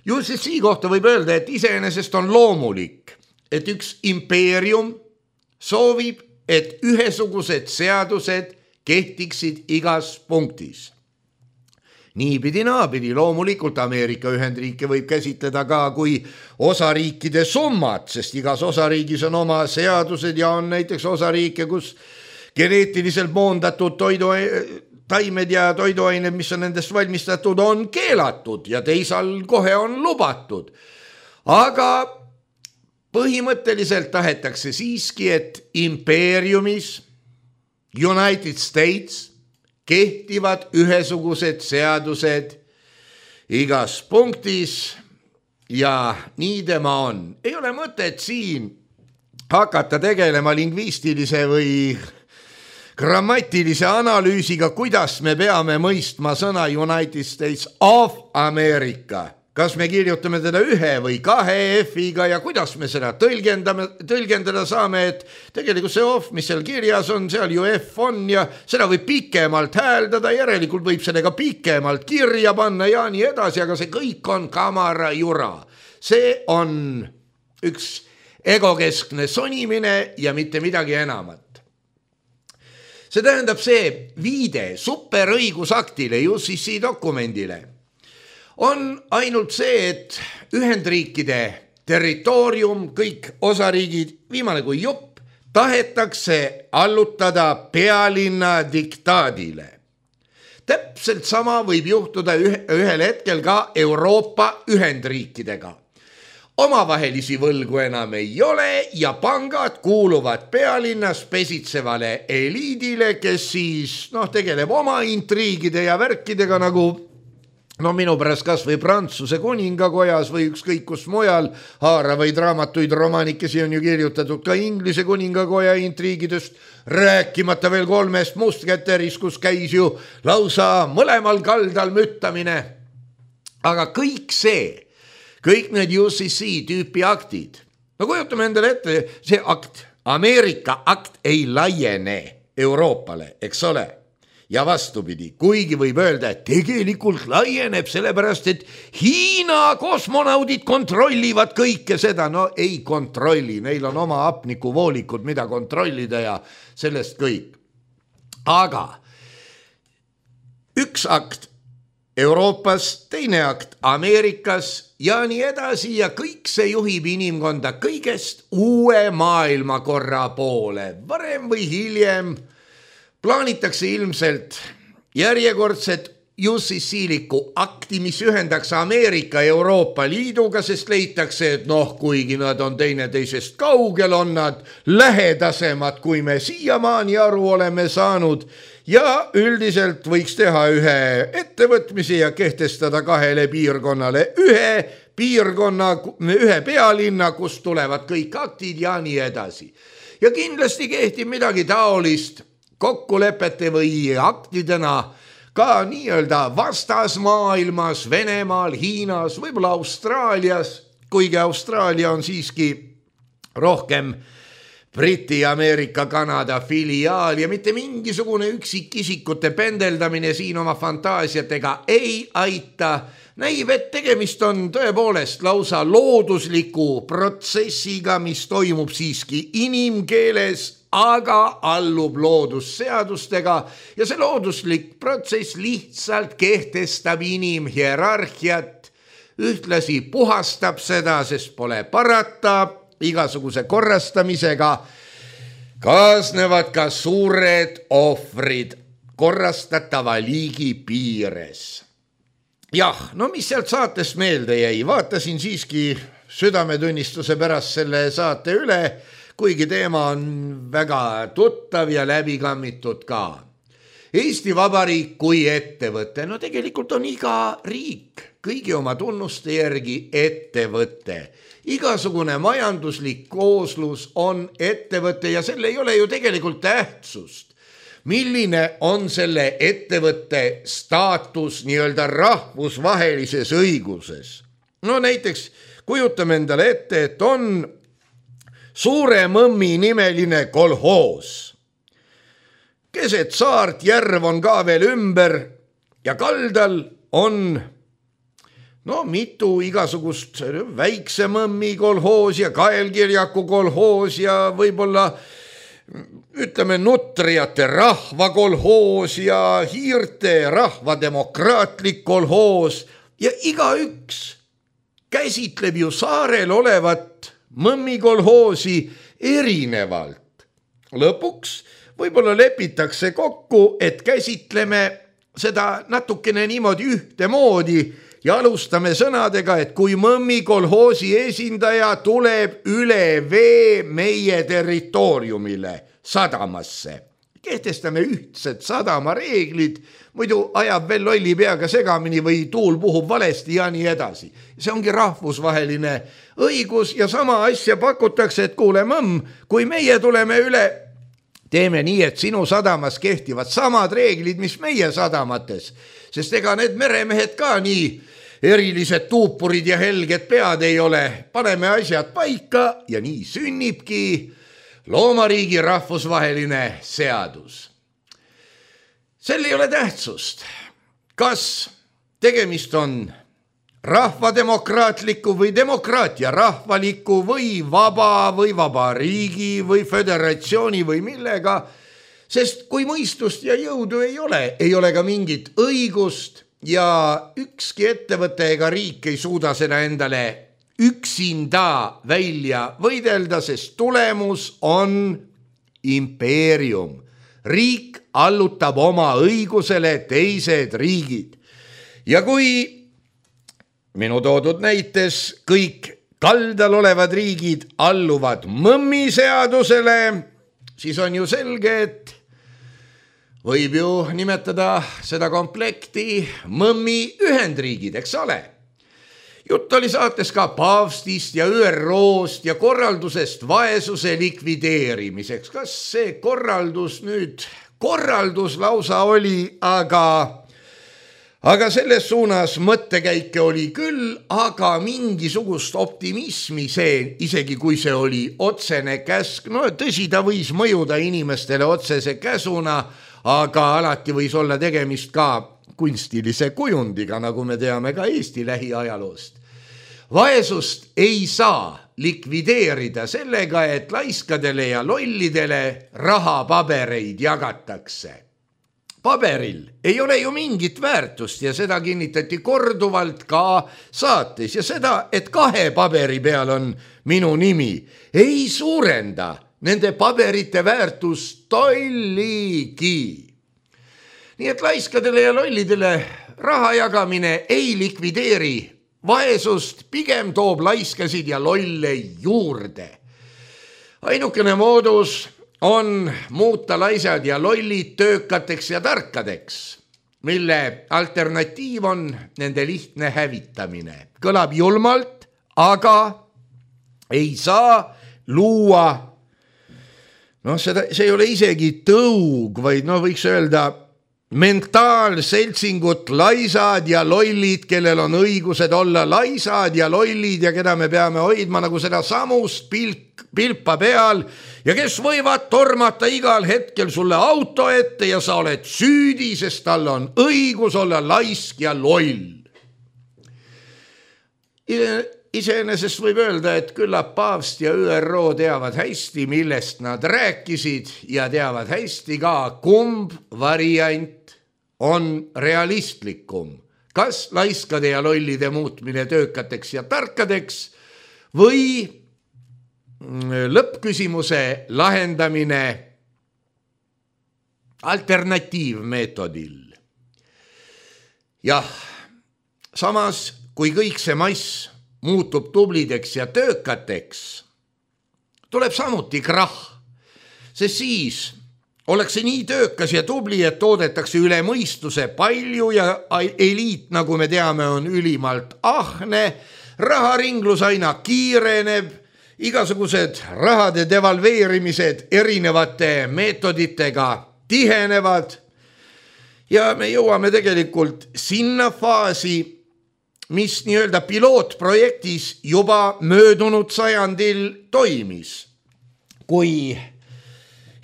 Just sii kohta võib öelda, et iseenesest on loomulik, et üks impeerium soovib, et ühesugused seadused kehtiksid igas punktis. Niipidi naapidi loomulikult Ameerika Ühendriike võib käsitleda ka kui osariikide summat, sest igas osariigis on oma seadused ja on näiteks osariike, kus geneetiliselt moondatud toidu, taimed ja toiduained, mis on nendest valmistatud, on keelatud ja teisal kohe on lubatud. Aga põhimõtteliselt tahetakse siiski, et impeeriumis United States kehtivad ühesugused seadused igas punktis ja nii tema on. Ei ole mõtet siin hakata tegelema lingvistilise või grammatilise analüüsiga, kuidas me peame mõistma sõna United States of America. Kas me kirjutame teda ühe või kahe F-iga ja kuidas me seda tõlgendame, tõlgendada saame, et tegelikult see off, mis seal kirjas on, seal ju F on ja seda võib pikemalt hääldada, järelikult võib seda ka pikemalt kirja panna ja nii edasi, aga see kõik on kamara jura. See on üks egokeskne sonimine ja mitte midagi enamat. See tähendab see viide superõigusaktile, U C C dokumendile, on ainult see, et Ühendriikide territoorium, kõik osariigid, viimane kui jupp, tahetakse allutada pealinna diktaadile. Täpselt sama võib juhtuda ühel hetkel ka Euroopa Ühendriikidega. Omavahelisi võlgu enam ei ole ja pangad kuuluvad pealinnas pesitsevale eliidile, kes siis noh, tegeleb oma intriigide ja värkidega nagu no minu pärast kas või Prantsuse kuningakojas või ükskõik kus mujal haaravaid raamatuid, romaanikesi on ju kirjutatud ka Inglise kuningakoja intriigidest, rääkimata veel kolmest mustkäterist, kus käis ju lausa mõlemal kaldal müttamine. Aga kõik see, kõik need U C C tüüpi aktid, no kujutame endale ette, see akt, Ameerika akt ei laiene Euroopale, eks ole? Ja vastupidi, kuigi võib öelda, et tegelikult laieneb sellepärast, et Hiina kosmonaudid kontrollivad kõike seda. No ei kontrolli, neil on oma hapnikuvoolikud, mida kontrollida ja sellest kõik. Aga üks akt Euroopas, teine akt Ameerikas ja nii edasi ja kõik see juhib inimkonda kõigest uue maailmakorra poole. Varem või hiljem plaanitakse ilmselt järjekordset U C C-liku akti, mis ühendaks Ameerika ja Euroopa Liiduga, sest leitakse, et noh, kuigi nad on teineteisest kaugel, on nad lähedasemad, kui me siiamaani aru oleme saanud ja üldiselt võiks teha ühe ettevõtmise ja kehtestada kahele piirkonnale ühe piirkonna, ühe pealinna, kust tulevad kõik aktid ja nii edasi. Ja kindlasti kehtib midagi taolist kokkulepete või aktidena ka nii-öelda vastasmaailmas, Venemaal, Hiinas, võib-olla Austraalias, kuigi Austraalia on siiski rohkem Briti, Ameerika, Kanada filiaal ja mitte mingisugune üksikisikute pendeldamine siin oma fantaasiatega ei aita. Näib, et tegemist on tõepoolest lausa loodusliku protsessiga, mis toimub siiski inimkeeles, aga allub loodusseadustega ja see looduslik protsess lihtsalt kehtestab inimhierarhiat, ühtlasi puhastab seda, sest pole parata, igasuguse korrastamisega kaasnevad ka suured ohvrid korrastatava liigi piires. Jah, no mis sealt saatest meelde jäi, vaatasin siiski südametunnistuse pärast selle saate üle, kuigi teema on väga tuttav ja läbikammitud ka. Eesti Vabariik kui ettevõte, no tegelikult on iga riik kõigi oma tunnuste järgi ettevõte. Igasugune majanduslik kooslus on ettevõte ja selle ei ole ju tegelikult tähtsust. Milline on selle ettevõtte staatus nii-öelda rahvusvahelises õiguses? No näiteks kujutame endale ette, et on Suure Mõmmi nimeline kolhoos. Keset saart järv on ka veel ümber ja kaldal on no mitu igasugust väikse Mõmmi kolhoos ja Kaelkirjaku kolhoos ja võib-olla ütleme Nutriate rahvakolhoos ja Hiirte rahvademokraatlik kolhoos ja igaüks käsitleb ju saarel olevat Mõmmi kolhoosi erinevalt. Lõpuks võib-olla lepitakse kokku, et käsitleme seda natukene niimoodi ühtemoodi ja alustame sõnadega, et kui Mõmmi kolhoosi esindaja tuleb üle vee meie territooriumile sadamasse, kehtestame ühtsed sadamareeglid, muidu ajab veel lolli peaga segamini või tuul puhub valesti ja nii edasi. See ongi rahvusvaheline õigus ja sama asja pakutakse, et kuule Mõmm, kui meie tuleme üle, teeme nii, et sinu sadamas kehtivad samad reeglid, mis meie sadamates, sest ega need meremehed ka nii erilised tuupurid ja helged pead ei ole. Paneme asjad paika ja nii sünnibki loomariigi rahvusvaheline seadus. Sel ei ole tähtsust, kas tegemist on rahvademokraatliku või demokraatia rahvaliku või vaba või vabariigi või föderatsiooni või millega, sest kui mõistust ja jõudu ei ole, ei ole ka mingit õigust ja ükski ettevõte ega riik ei suuda seda endale üksinda välja võidelda, sest tulemus on impeerium. Riik allutab oma õigusele teised riigid. Ja kui minu toodud näites kõik kaldal olevad riigid alluvad Mõmmi seadusele, siis on ju selge, et võib ju nimetada seda komplekti Mõmmi ühendriigid, eks ole. Jutt oli saates ka paavstist ja Ü R O-st ja korraldusest vaesuse likvideerimiseks. Kas see korraldus nüüd, korraldus lausa oli, aga, aga selles suunas mõttekäike oli küll, aga mingisugust optimismi see, isegi kui see oli otsene käsk, no tõsi, ta võis mõjuda inimestele otsese käsuna, aga alati võis olla tegemist ka kunstilise kujundiga, nagu me teame ka Eesti lähiajaloost. Vaesust ei saa likvideerida sellega, et laiskadele ja lollidele rahapabereid jagatakse. Paberil ei ole ju mingit väärtust ja seda kinnitati korduvalt ka saates ja seda, et kahe paberi peal on minu nimi, ei suurenda nende paberite väärtust tolligi. Nii et laiskadele ja lollidele raha jagamine ei likvideeri vaesust, pigem toob laiskasid ja lolle juurde. Ainukene moodus on muuta laisad ja lollid töökateks ja tarkadeks. mille alternatiiv on nende lihtne hävitamine. Kõlab julmalt, aga ei saa luua, noh, seda, see ei ole isegi tõug, vaid no võiks öelda mentaalseltsingut laisad ja lollid, kellel on õigused olla laisad ja lollid ja keda me peame hoidma nagu seda samust pilk, pilpa peal ja kes võivad tormata igal hetkel sulle auto ette ja sa oled süüdi, sest tal on õigus olla laisk ja loll. Iseenesest võib öelda, et küllap paavst ja Ü R O teavad hästi, millest nad rääkisid ja teavad hästi ka, kumb variant on realistlikum. Kas laiskade ja lollide muutmine töökateks ja tarkadeks või lõppküsimuse lahendamine alternatiivmeetodil. Jah, samas kui kõik see mass muutub tublideks ja töökateks, tuleb samuti krahh, sest siis oleks see nii töökas ja tubli, et toodetakse üle mõistuse palju ja eliit, nagu me teame, on ülimalt ahne, raharinglus aina kiireneb, igasugused rahade devalveerimised erinevate meetoditega tihenevad ja me jõuame tegelikult sinna faasi, mis nii-öelda pilootprojektis juba möödunud sajandil toimis, kui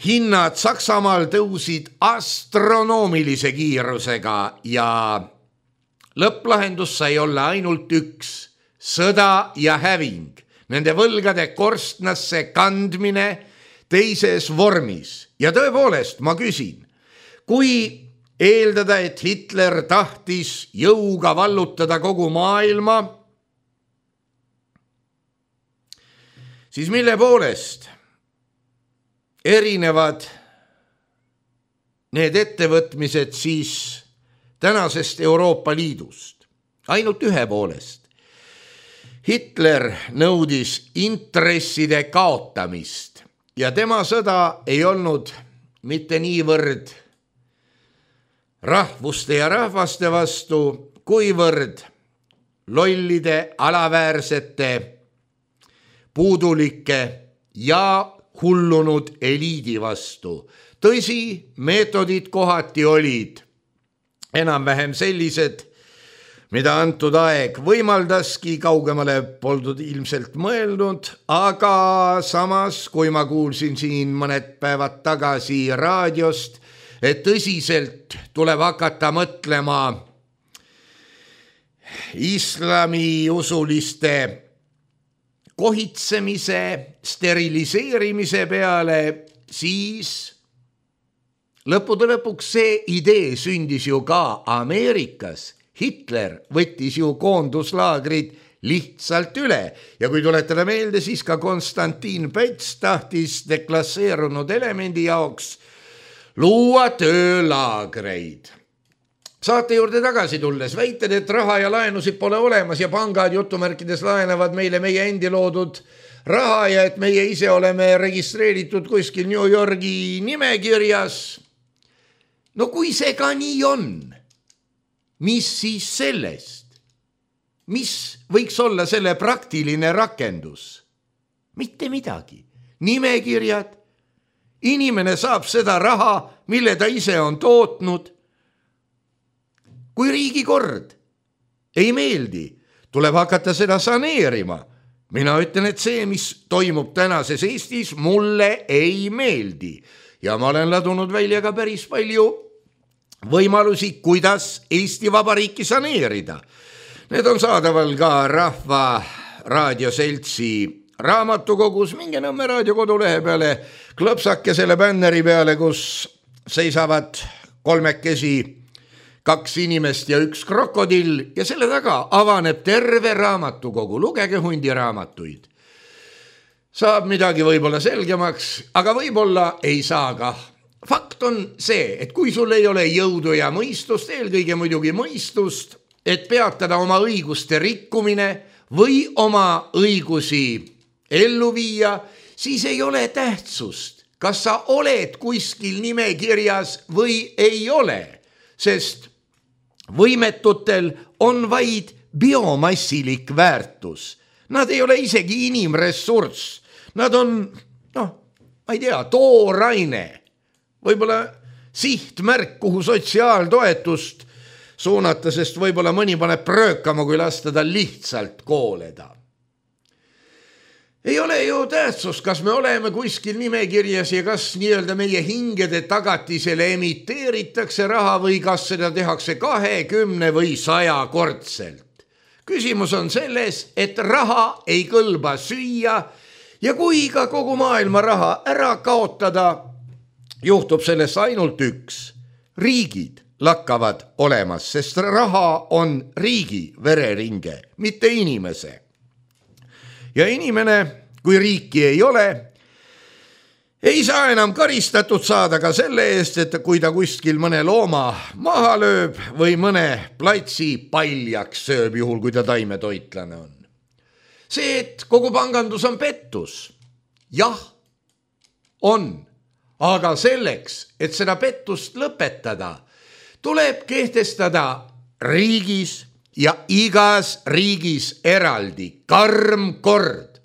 hinnad Saksamaal tõusid astronoomilise kiirusega ja lõpplahendus sai olla ainult üks, sõda ja häving, nende võlgade korstnasse kandmine teises vormis. Ja tõepoolest, ma küsin, kui eeldada, et Hitler tahtis jõuga vallutada kogu maailma, siis mille poolest erinevad need ettevõtmised siis tänasest Euroopa Liidust? Ainult ühe poolest. Hitler nõudis intresside kaotamist ja tema sõda ei olnud mitte niivõrd rahvuste ja rahvaste vastu, kuivõrd lollide, alaväärsete, puudulike ja hullunud eliidi vastu. Tõsi, meetodid kohati olid enam-vähem sellised, mida antud aeg võimaldaski, kaugemale poldud ilmselt mõelnud, aga samas, kui ma kuulsin siin mõned päevad tagasi raadiost, et tõsiselt tuleb hakata mõtlema islamiusuliste kohitsemise, steriliseerimise peale, siis lõppude lõpuks see idee sündis ju ka Ameerikas. Hitler võttis ju koonduslaagrid lihtsalt üle ja kui tuletada meelde, siis ka Konstantin Päts tahtis deklasseerunud elemendi jaoks luua töölaagreid. Saate juurde tagasi tulles väited, et raha ja laenusid pole olemas ja pangad jutumärkides laenavad meile meie endi loodud raha ja et meie ise oleme registreeritud kuskil New Yorgi nimekirjas. No kui see ka nii on, mis siis sellest? Mis võiks olla selle praktiline rakendus? Mitte midagi. Nimekirjad. Inimene saab seda raha, mille ta ise on tootnud. Kui riigikord ei meeldi, tuleb hakata seda saneerima. Mina ütlen, et see, mis toimub tänases Eestis, mulle ei meeldi. Ja ma olen ladunud välja ka päris palju võimalusi, kuidas Eesti Vabariiki saneerida. Need on saadaval ka Rahva Raadioseltsi raamatukogus, minge Nõmme raadio kodulehe peale, klõpsake selle bänneri peale, kus seisavad kolmekesi kaks inimest ja üks krokodill ja selle taga avaneb terve raamatukogu. Lugege hundiraamatuid. Saab midagi võib-olla selgemaks, aga võib-olla ei saa ka. Fakt on see, et kui sul ei ole jõudu ja mõistust, eelkõige muidugi mõistust, et peatada oma õiguste rikkumine või oma õigusi ellu viia, siis ei ole tähtsust, kas sa oled kuskil nimekirjas või ei ole, sest võimetutel on vaid biomassilik väärtus. Nad ei ole isegi inimressurss. Nad on, noh, ma ei tea, tooraine. Võib-olla sihtmärk, kuhu sotsiaaltoetust suunata, sest võib-olla mõni paneb pröökama, kui lasta tal lihtsalt kooleda. Ei ole ju tähtsus, kas me oleme kuskil nimekirjas ja kas nii-öelda meie hingede tagatisele emiteeritakse raha või kas seda tehakse kahekümne või saja kordselt. Küsimus on selles, et raha ei kõlba süüa ja kui ka kogu maailma raha ära kaotada, juhtub sellest ainult üks. Riigid lakkavad olemas, sest raha on riigi vereringe, mitte inimese. Ja inimene, kui riiki ei ole, ei saa enam karistatud saada ka selle eest, et kui ta kuskil mõne looma maha lööb või mõne platsi paljaks sööb, juhul kui ta taimetoitlane on. See, et kogu pangandus on pettus, jah, on, aga selleks, et seda pettust lõpetada, tuleb kehtestada riigis ja igas riigis eraldi karm kord.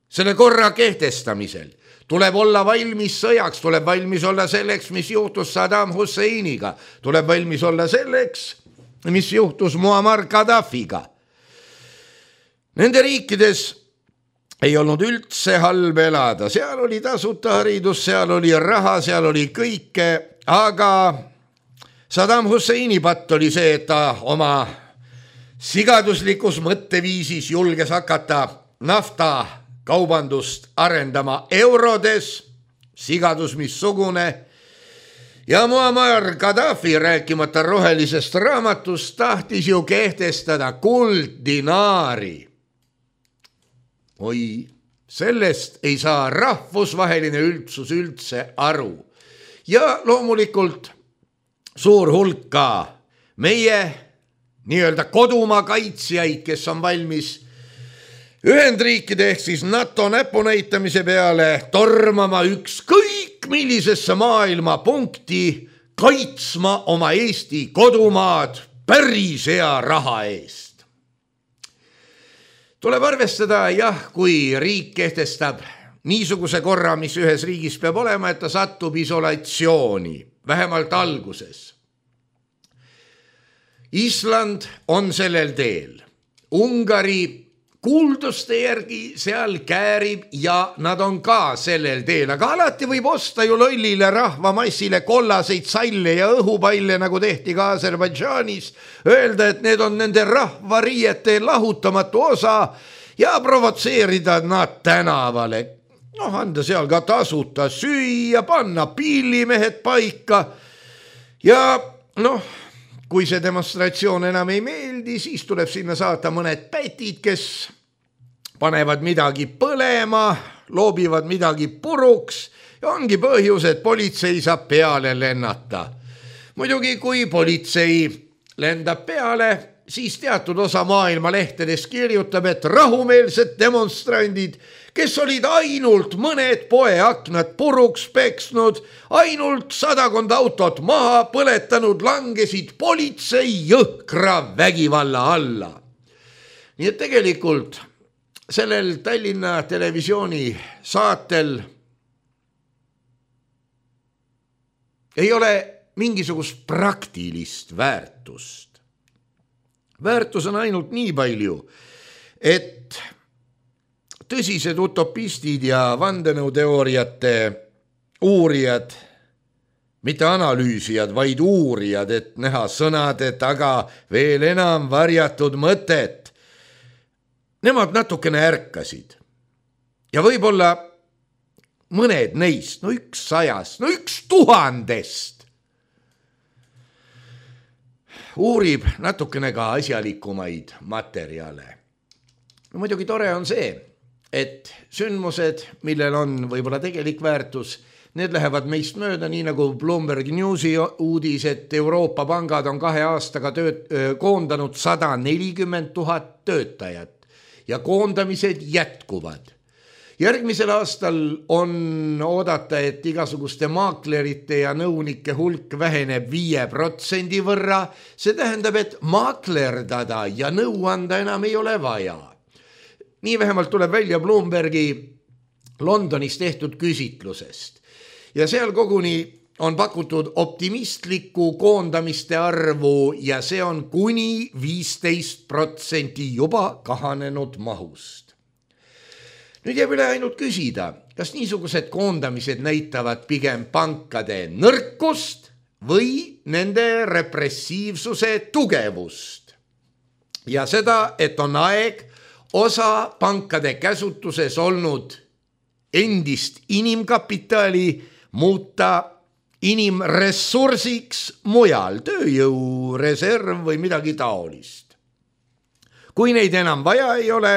Selle korra kehtestamisel tuleb olla valmis sõjaks, tuleb valmis olla selleks, mis juhtus Saddam Husseiniga, tuleb valmis olla selleks, mis juhtus Muammar Gaddafiga. Nende riikides ei olnud üldse halb elada, seal oli tasuta haridus, seal oli raha, seal oli kõike, aga Saddam Husseini patt oli see, et ta oma sigaduslikus mõtteviisis julges hakata nafta kaubandust arendama eurodes, sigadus missugune, ja Muammar Gaddafi, rääkimata rohelisest raamatust, tahtis ju kehtestada kulddinaari. Oi, sellest ei saa rahvusvaheline üldsus üldse aru. Ja loomulikult suur hulka meie nii-öelda kodumaa kaitsjaid, kes on valmis Ühendriikide ehk siis NATO näpunäitamise peale tormama ükskõik millisesse maailma punkti, kaitsma oma Eesti kodumaad päris hea raha eest. Tuleb arvestada, jah, kui riik kehtestab niisuguse korra, mis ühes riigis peab olema, et ta satub isolatsiooni, vähemalt alguses. Island on sellel teel. Ungari kuulduste järgi seal käärib ja nad on ka sellel teel, aga alati võib osta ju lollile rahvamassile kollaseid salle ja õhupalle, nagu tehti ka Aserbaidžaanis, öelda, et need on nende rahvariiete lahutamatu osa ja provotseerida nad tänavale. Noh, anda seal ka tasuta süüa, panna pillimehed paika ja noh, kui see demonstratsioon enam ei meeldi, siis tuleb sinna saata mõned pätid, kes panevad midagi põlema, loobivad midagi puruks ja ongi põhjus, et politsei saab peale lennata. Muidugi, kui politsei lendab peale, siis teatud osa maailma lehtedes kirjutab, et rahumeelsed demonstrandid, kes olid ainult mõned poeaknad puruks peksnud, ainult sadakond autot maha põletanud, langesid politsei jõhkra vägivalla alla. Nii et tegelikult sellel Tallinna televisiooni saatel ei ole mingisugust praktilist väärtust. Väärtus on ainult nii palju, et tõsised utopistid ja vandenõuteooriate uurijad, mitte analüüsijad, vaid uurijad, et näha sõnade taga veel enam varjatud mõtet. Nemad natukene ärkasid. Ja võib-olla mõned neist, no üks sajast, no üks tuhandest, uurib natukene ka asjalikumaid materjale. No muidugi tore on see, et sündmused, millel on võib-olla tegelik väärtus, need lähevad meist mööda, nii nagu Bloomberg Newsi uudis, et Euroopa pangad on kahe aastaga tööt, koondanud sada nelikümmend tuhat töötajat ja koondamised jätkuvad. Järgmisel aastal on oodata, et igasuguste maaklerite ja nõunike hulk väheneb viie protsendi võrra. See tähendab, et maaklerdada ja nõu anda enam ei ole vaja. Nii vähemalt tuleb välja Bloombergi Londonis tehtud küsitlusest. Ja seal koguni on pakutud optimistlikku koondamiste arvu ja see on kuni viisteist protsenti juba kahanenud mahust. Nüüd jääb üle ainult küsida, kas niisugused koondamised näitavad pigem pankade nõrkust või nende repressiivsuse tugevust. Ja seda, et on aeg osa pankade käsutuses olnud endist inimkapitali muuta inimressursiks mujal, tööjõureserv või midagi taolist. Kui neid enam vaja ei ole,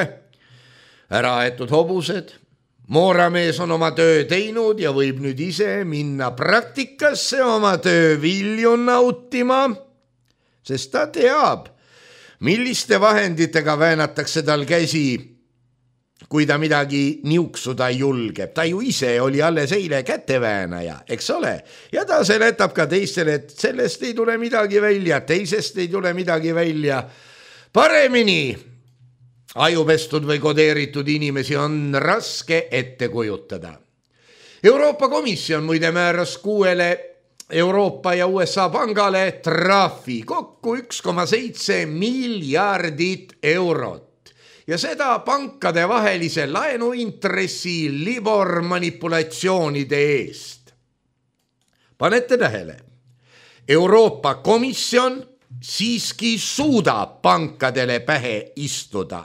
äraaetud hobused, mooramees on oma töö teinud ja võib nüüd ise minna praktikasse oma töö vilju nautima, sest ta teab, milliste vahenditega väänatakse tal käsi, kui ta midagi niuksuda julgeb. Ta ju ise oli alles eile käteväänaja, eks ole? Ja ta seletab ka teistele, et sellest ei tule midagi välja, teisest ei tule midagi välja. Paremini ajupestud või kodeeritud inimesi on raske ette kujutada. Euroopa Komisjon muide määras kuuele Euroopa ja U S A pangale trahvi kokku üks koma seitse miljardit eurot. Ja seda pankade vahelise laenuintressi Libor manipulatsioonide eest. Panete tähele, Euroopa Komisjon siiski suudab pankadele pähe istuda.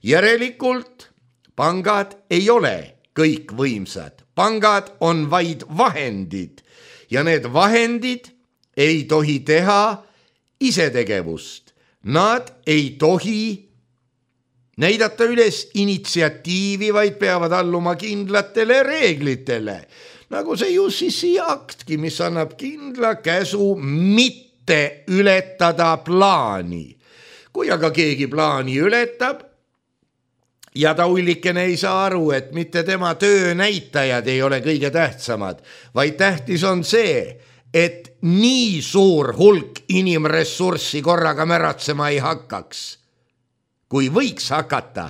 Järelikult pangad ei ole kõik võimsad. Pangad on vaid vahendid ja need vahendid ei tohi teha isetegevust. Nad ei tohi näidata üles initsiatiivi, vaid peavad alluma kindlatele reeglitele. Nagu see U C C aktki, mis annab kindla käsu mitte ületada plaani. Kui aga keegi plaani ületab, ja ta ullikene ei saa aru, et mitte tema töönäitajad ei ole kõige tähtsamad, vaid tähtis on see, et nii suur hulk inimressurssi korraga märatsema ei hakkaks. Kui võiks hakata,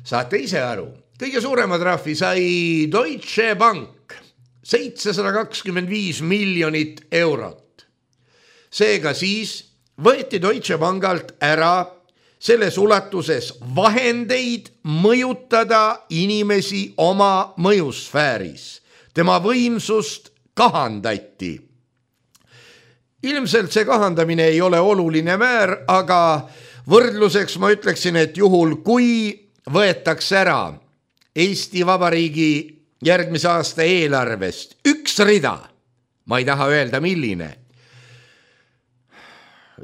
saate ise aru. Kõige suurema trahvi sai Deutsche Bank, seitsesada kakskümmend viis miljonit eurot. Seega siis võeti Deutsche Bankalt ära selles ulatuses vahendeid mõjutada inimesi oma mõjusfääris. Tema võimsust kahandati. Ilmselt see kahandamine ei ole oluline määr, aga võrdluseks ma ütleksin, et juhul kui võetakse ära Eesti Vabariigi järgmise aasta eelarvest üks rida, ma ei taha öelda milline,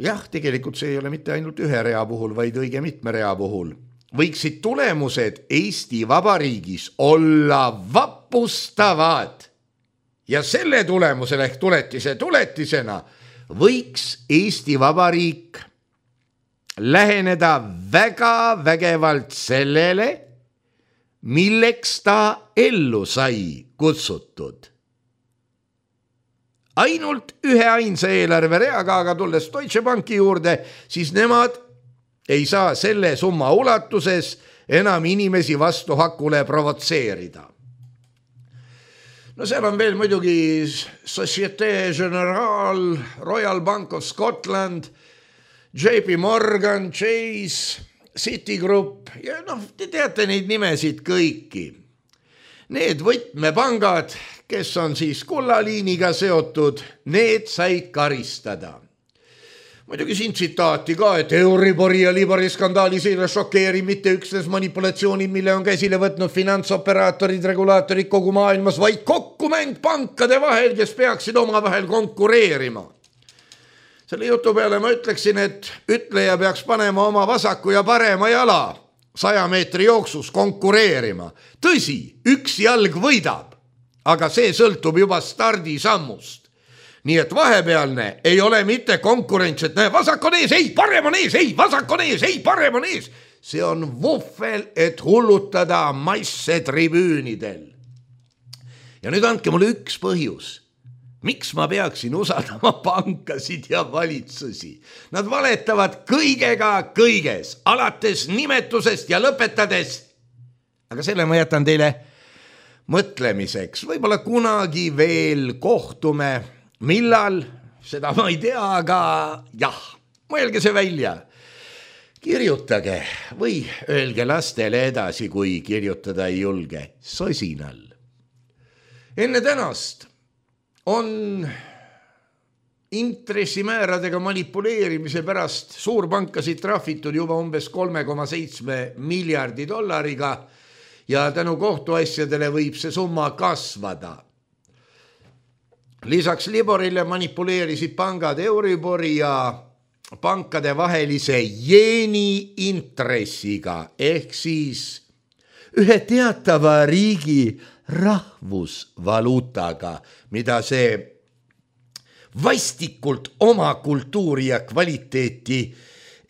jah, tegelikult see ei ole mitte ainult ühe rea puhul, vaid õige mitme rea puhul. Võiksid tulemused Eesti Vabariigis olla vapustavad. Ja selle tulemusel ehk tuletise tuletisena võiks Eesti Vabariik läheneda väga vägevalt sellele, milleks ta ellu sai kutsutud. Ainult ühe ainsa eelarve reaga, aga tulles Deutsche Banki juurde, siis nemad ei saa selle summa ulatuses enam inimesi vastu hakule provotseerida. No seal on veel muidugi Societe Generale, Royal Bank of Scotland, J P Morgan, Chase, Citigroup ja noh, te teate neid nimesid kõiki. Need võtmepangad, kes on siis kullaliiniga seotud, need said karistada. Muidugi siin tsitaati ka, et Euribori ja Libori skandaalis ei ole šokeeri mitte üksnes manipulatsioonid, mille on käsile võtnud finantsoperaatorid, regulaatorid kogu maailmas, vaid kokkumäng pankade vahel, kes peaksid oma vahel konkureerima. Selle jutu peale ma ütleksin, et ütleja peaks panema oma vasaku ja parema jala saja meetri jooksus konkureerima. Tõsi, üks jalg võidab, aga see sõltub juba stardisammust. Nii et vahepealne ei ole mitte konkurents, et näe, vasak on ees, ei, parem on ees, ei, vasak on ees, ei, parem on ees. see on vuhvel, et hullutada masse tribüünidel. ja nüüd andke mulle üks põhjus. Miks ma peaksin usaldama pankasid ja valitsusi? Nad valetavad kõigega kõiges, alates nimetusest ja lõpetades. Aga selle ma jätan teile mõtlemiseks. Võib-olla kunagi veel kohtume. Millal? Seda ma ei tea, aga jah, mõelge see välja. Kirjutage või öelge lastele edasi, kui kirjutada ei julge. Sosinal. Enne tänast on intressimääradega manipuleerimise pärast suurpankasid trahvitud juba umbes kolme koma seitsme miljardi dollariga ja tänu kohtuasjadele võib see summa kasvada. Lisaks Liborile manipuleerisid pangad Euribori ja pankade vahelise jeeni intressiga ehk siis ühe teatava riigi rahvusvaluutaga, mida see vastikult oma kultuuri ja kvaliteeti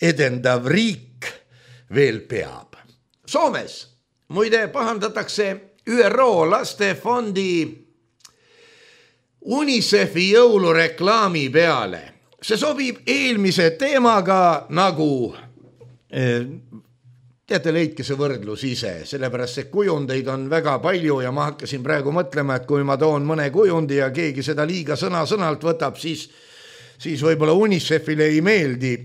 edendav riik veel peab. Soomes muide pahandatakse Ü R O lastefondi UNICEF-i jõulureklaami peale. See sobib eelmise teemaga nagu eh, teate, leidke see võrdlus ise, sellepärast see kujundeid on väga palju ja ma hakkasin praegu mõtlema, et kui ma toon mõne kujundi ja keegi seda liiga sõna-sõnalt võtab, siis, siis võib-olla UNICEF-ile ei meeldi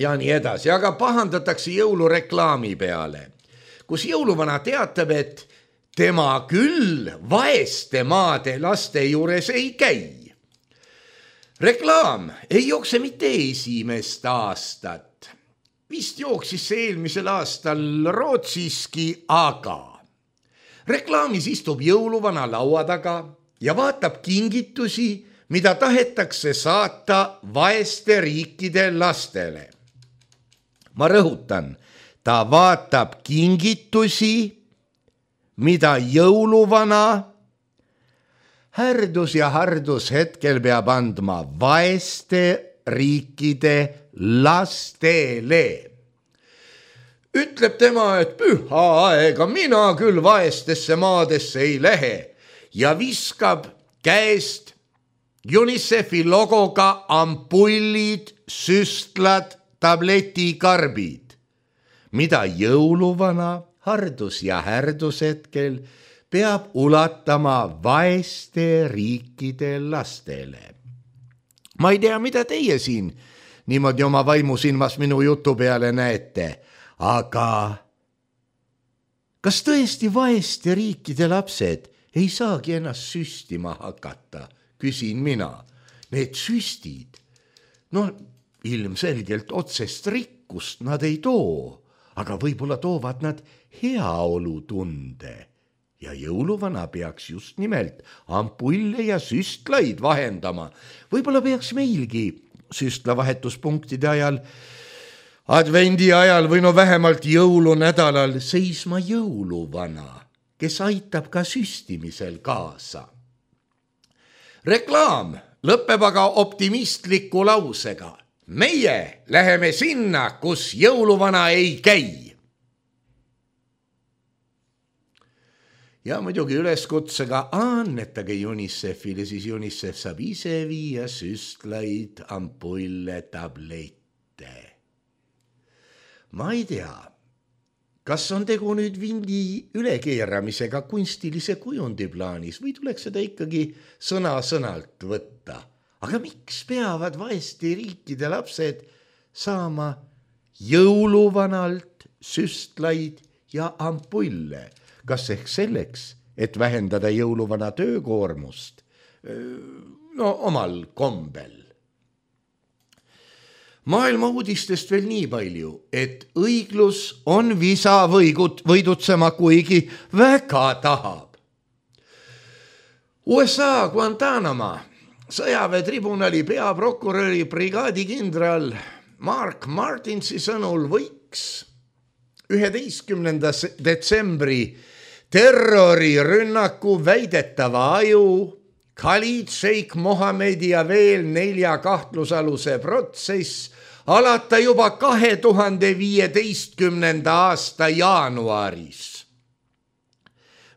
ja nii edasi. Aga pahandatakse jõulureklaami peale, kus jõuluvana teatab, et tema küll vaeste maade laste juures ei käi. Reklaam ei jookse mitte esimest aastat. Vist jooksis see eelmisel aastal Rootsiski, aga reklaamis istub jõuluvana laua taga ja vaatab kingitusi, mida tahetakse saata vaeste riikide lastele. Ma rõhutan, ta vaatab kingitusi, mida jõuluvana härdus ja hardus hetkel peab andma vaeste riikide lastele. Ütleb tema, et püha aega mina küll vaestesse maadesse ei lähe ja viskab käest UNICEF-i logoga ampullid, süstlad, tabletikarbid, mida jõuluvana hardus ja härdus hetkel peab ulatama vaeste riikide lastele. Ma ei tea, mida teie siin niimoodi oma vaimusilmas minu jutu peale näete, aga kas tõesti vaeste riikide lapsed ei saagi ennast süstima hakata, küsin mina. Need süstid, no ilmselgelt otsest rikkust nad ei too, aga võib-olla toovad nad heaolutunde. Ja jõuluvana peaks just nimelt ampulle ja süstlaid vahendama. Võib-olla peaks meilgi süstlavahetuspunktide ajal, advendi ajal või no vähemalt jõulunädalal seisma jõuluvana, kes aitab ka süstimisel kaasa. Reklaam lõpeb aga optimistliku lausega. Meie läheme sinna, kus jõuluvana ei käi. Ja muidugi üleskutsega annetage UNICEF-ile, siis UNICEF saab ise viia süstlaid, ampulle, tablette. Ma ei tea, kas on tegu nüüd vindi ülekeeramisega kunstilise kujundi plaanis või tuleks seda ikkagi sõna-sõnalt võtta. Aga miks peavad vaeste riikide lapsed saama jõuluvanalt süstlaid ja ampulle? Kas ehk selleks, et vähendada jõuluvana töökoormust? No omal kombel. Maailma uudistest veel nii palju, et õiglus on visa võigut, võidutsema, kuigi väga tahab. U S A Guantanamo sõjaväetribunali peaprokuröri brigaadikindral Mark Martinsi sõnul võiks üheteistkümnenda detsembri terrorirünnaku väidetava aju Khalid Sheikh Mohammedi ja veel nelja kahtlusaluse protsess alata juba kahe tuhande viieteistkümnenda aasta jaanuaris.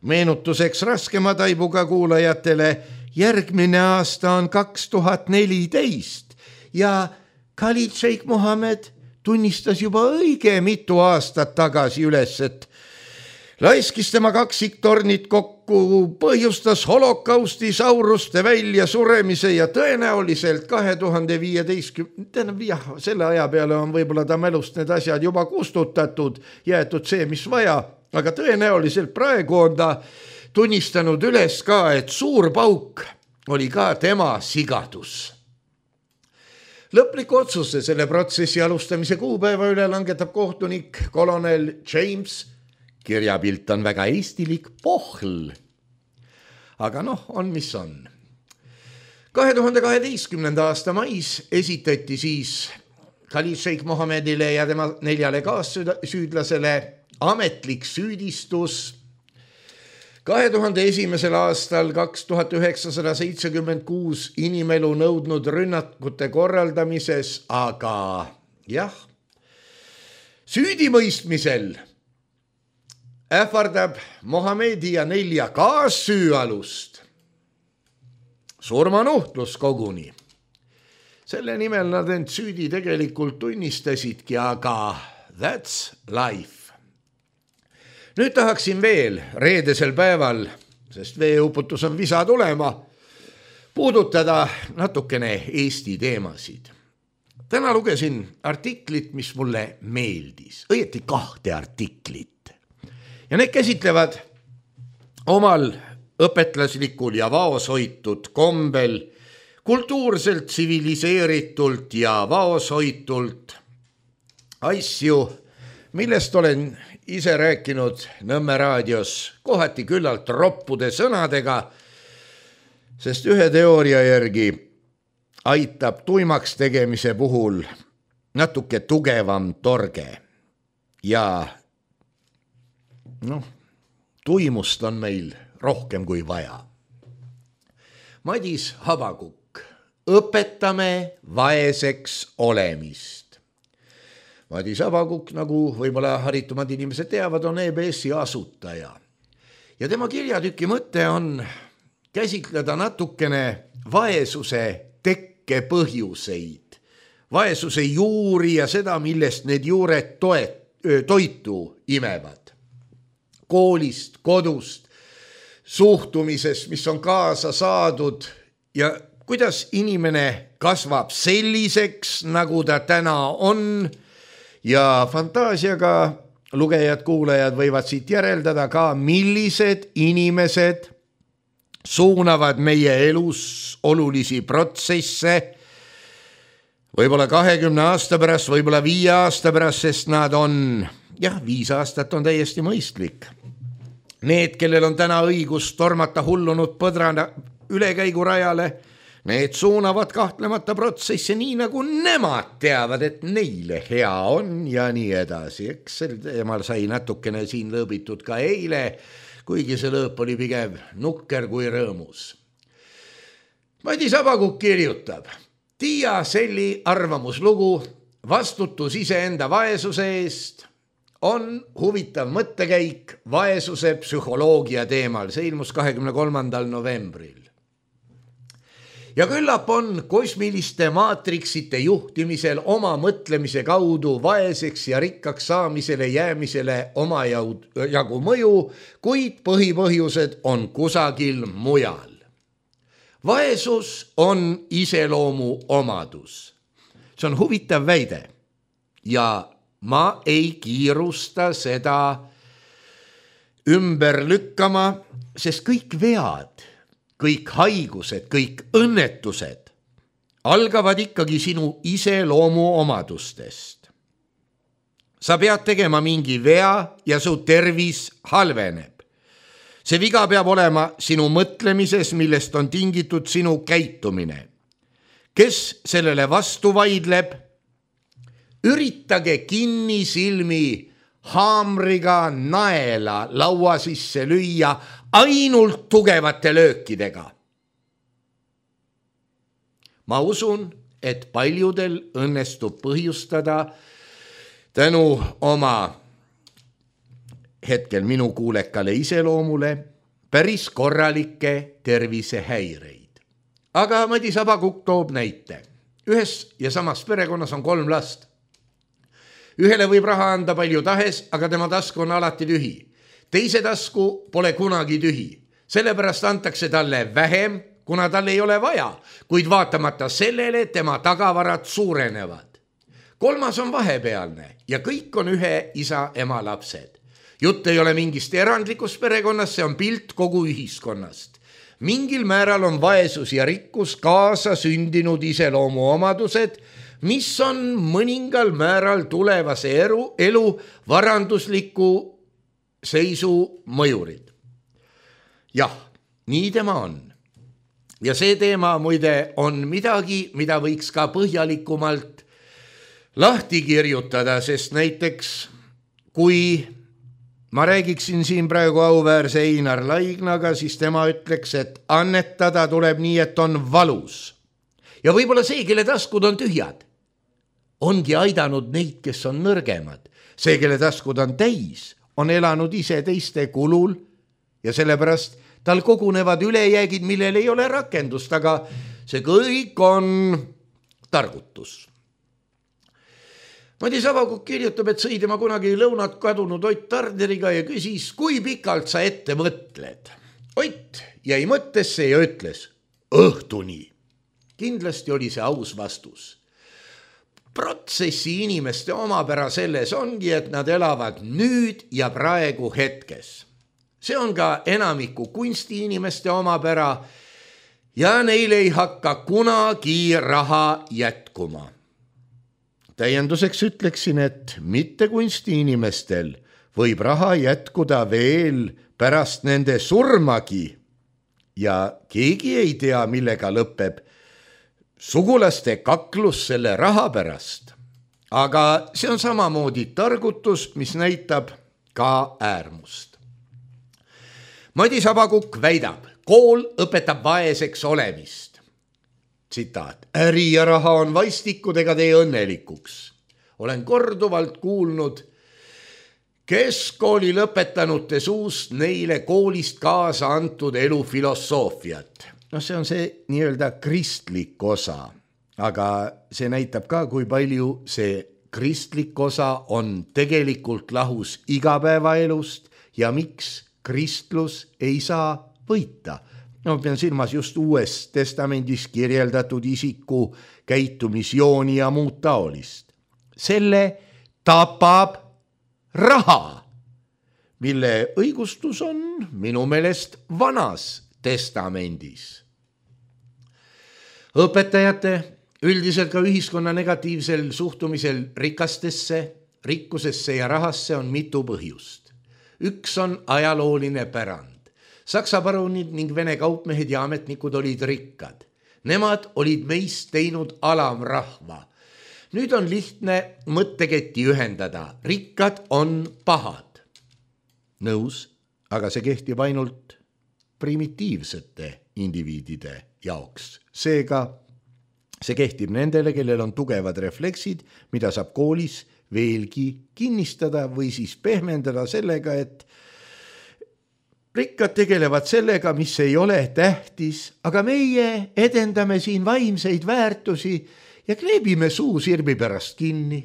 Meenutuseks raskema taibuga kuulajatele, järgmine aasta on kaks tuhat neliteist ja Khalid Sheikh Mohammed tunnistas juba õige mitu aastat tagasi üles, et laiskis tema kaksiktornid kokku, põhjustas holokausti, sauruste välja suremise ja tõenäoliselt kahe tuhande viieteistkümnenda, jah, selle aja peale on võib-olla ta mälust need asjad juba kustutatud, jäetud see, mis vaja, aga tõenäoliselt praegu on ta tunnistanud üles ka, et suur pauk oli ka tema sigadus. Lõpliku otsuse selle protsessi alustamise kuupäeva üle langetab kohtunik kolonel James. Kirjapilt on väga eestilik Pohl. Aga noh, on mis on. kahe tuhande kaheteistkümnenda aasta mais esitati siis Khalid Sheikh Mohammedile ja tema neljale kaassüüdlasele ametlik süüdistus kahe tuhande esimesel aastal kaks tuhat üheksasada seitsekümmend kuus inimelu nõudnud rünnakute korraldamises, aga jah, süüdimõistmisel ähvardab Mohammedi ja nelja kaassüüalust surmanuhtlus koguni. Selle nimel nad end süüdi tegelikult tunnistasidki, aga that's life. Nüüd tahaksin veel reedesel päeval, sest veeuputus on visa tulema, puudutada natukene Eesti teemasid. Täna lugesin artiklit, mis mulle meeldis, õieti kahte artiklit. Ja need käsitlevad omal õpetlaslikul ja vaoshoitud kombel, kultuurselt, tsiviliseeritult ja vaoshoitult asju, millest olen ise rääkinud Nõmme raadios kohati küllalt roppude sõnadega, sest ühe teooria järgi aitab tuimaks tegemise puhul natuke tugevam torge ja noh, tuimust on meil rohkem kui vaja. Madis Habakuk, õpetame vaeseks olemist. Madis Habakuk, nagu võib-olla haritumad inimesed teavad, on E B S-i asutaja. Ja tema kirjatüki mõte on käsitleda natukene vaesuse tekke põhjuseid, vaesuse juuri ja seda, millest need juured toet, toitu imevad. Koolist, kodust, suhtumisest, mis on kaasa saadud ja kuidas inimene kasvab selliseks, nagu ta täna on. Ja fantaasiaga lugejad, kuulajad võivad siit järeldada ka, millised inimesed suunavad meie elus olulisi protsesse võib-olla kahekümne aasta pärast, võib-olla viie aasta pärast, sest nad on, jah, viis aastat on täiesti mõistlik. Need, kellel on täna õigus tormata hullunud põdrana ülekäigurajale, need suunavad kahtlemata protsesse nii, nagu nemad teavad, et neile hea on ja nii edasi. Eks sel teemal sai natukene siin lõõbitud ka eile, kuigi see lõõp oli pigem nukker kui rõõmus. Madis Habakuk kirjutab, Tiia Selli arvamuslugu vastutus iseenda vaesuse eest on huvitav mõttekäik vaesuse psühholoogia teemal. See ilmus kahekümne kolmandal novembril. Ja küllap on kosmiliste maatriksite juhtimisel oma mõtlemise kaudu vaeseks ja rikkaks saamisele jäämisele oma jagu mõju, kuid põhipõhjused on kusagil mujal. Vaesus on iseloomu omadus. See on huvitav väide ja ma ei kiirusta seda ümber lükkama, sest kõik vead, kõik haigused, kõik õnnetused algavad ikkagi sinu iseloomu omadustest. Sa pead tegema mingi vea ja su tervis halveneb. See viga peab olema sinu mõtlemises, millest on tingitud sinu käitumine. Kes sellele vastu vaidleb? Üritage kinni silmi haamriga naela laua sisse lüüa ainult tugevate löökidega. Ma usun, et paljudel õnnestub põhjustada tänu oma hetkel minu kuulekale iseloomule päris korralikke tervisehäireid. Aga Madis Abakukk toob näite. Ühes ja samas perekonnas on kolm last. Ühele võib raha anda palju tahes, aga tema tasku on alati tühi. Teise tasku pole kunagi tühi. Sellepärast antakse talle vähem, kuna tal ei ole vaja, kuid vaatamata sellele tema tagavarad suurenevad. Kolmas on vahepealne ja kõik on ühe isa ema lapsed. Jutt ei ole mingist erandlikust perekonnast, see on pilt kogu ühiskonnast. Mingil määral on vaesus ja rikkus kaasa sündinud iseloomu omadused, mis on mõningal määral tulevase elu, elu varandusliku seisu mõjurid. Jah, nii tema on. Ja see teema muide on midagi, mida võiks ka põhjalikumalt lahti kirjutada, sest näiteks kui ma räägiksin siin praegu auväärse Einar Laignaga, siis tema ütleks, et annetada tuleb nii, et on valus. Ja võib-olla see, kelle taskud on tühjad, ongi aidanud neid, kes on nõrgemad. See, kelle taskud on täis, on elanud ise teiste kulul ja sellepärast tal kogunevad ülejäägid, millel ei ole rakendust, aga see kõik on targutus. Madis Abakukk kirjutab, et sõi tema kunagi lõunat kadunud Ott Tarderiga ja küsis, kui pikalt sa ette mõtled. Ott jäi mõttesse ja ütles, õhtuni. Kindlasti oli see aus vastus. Protsessi inimeste omapära selles ongi, et nad elavad nüüd ja praegu hetkes. See on ka enamiku kunsti inimeste omapära ja neil ei hakka kunagi raha jätkuma. Täienduseks ütleksin, et mitte kunsti inimestel võib raha jätkuda veel pärast nende surmagi ja keegi ei tea, millega lõpeb sugulaste kaklus selle raha pärast. Aga see on samamoodi targutus, mis näitab ka äärmust. Madis Abakukk väidab, kool õpetab vaeseks olemist. Tsitaat, äri ja raha on vaistikud ega tee õnnelikuks. Olen korduvalt kuulnud keskkooli lõpetanute suust neile koolist kaasa antud elufilosoofiat. No see on see nii-öelda kristlik osa, aga see näitab ka, kui palju see kristlik osa on tegelikult lahus igapäevaelust ja miks kristlus ei saa võita. No pean silmas just uues testamendis kirjeldatud isiku käitumisjooni ja muud taolist. Selle tapab raha, mille õigustus on minu meelest vanas testamendis. Õpetajate, üldiselt ka ühiskonna negatiivsel suhtumisel rikastesse, rikkusesse ja rahasse on mitu põhjust. Üks on ajalooline pärand. Saksa parunid ning Vene kaupmehed ja ametnikud olid rikkad. Nemad olid meist teinud alamrahva. Nüüd on lihtne mõtteketti ühendada. Rikkad on pahad. Nõus, aga see kehtib ainult primitiivsete indiviidide jaoks. Seega see kehtib nendele, kellel on tugevad refleksid, mida saab koolis veelgi kinnistada või siis pehmendada sellega, et rikkad tegelevad sellega, mis ei ole tähtis, aga meie edendame siin vaimseid väärtusi ja kleebime suu sirbi pärast kinni.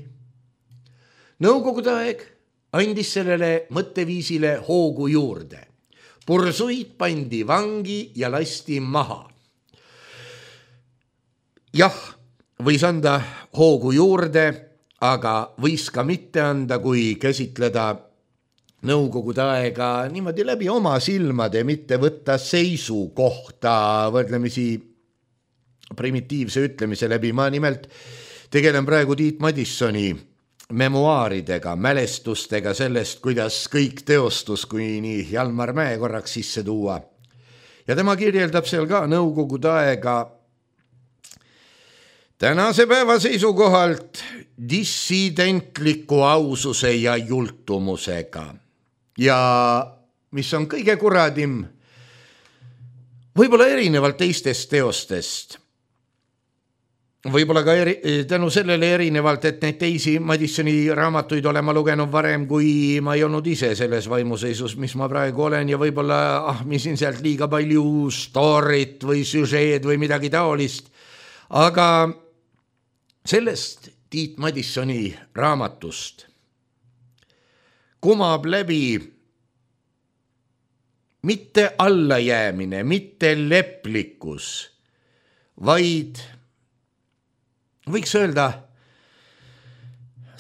Nõukogude aeg andis sellele mõtteviisile hoogu juurde. Pursuid pandi vangi ja lasti maha. Jah, võis anda hoogu juurde, aga võis ka mitte anda, kui käsitleda nõukogude aega niimoodi läbi oma silmade, mitte võtta seisukohta võrdlemisi primitiivse ütlemise läbi. Ma nimelt tegelen praegu Tiit Madissoni memuaaridega, mälestustega sellest, kuidas kõik teostus, kui nii Jalmar Mäe korraks sisse tuua. Ja tema kirjeldab seal ka nõukogude aega tänase päeva seisukohalt dissidentliku aususe ja jultumusega. Ja mis on kõige kuradim, võib-olla erinevalt teistest teostest, võib-olla ka eri, tänu sellele erinevalt, et neid teisi Madissoni raamatuid olen ma lugenud varem, kui ma ei olnud ise selles vaimuseisus, mis ma praegu olen ja võib-olla ahmisin sealt liiga palju storyt või süžeed või midagi taolist. Aga sellest Tiit Madissoni raamatust kumab läbi mitte allajäämine, mitte leplikkus, vaid võiks öelda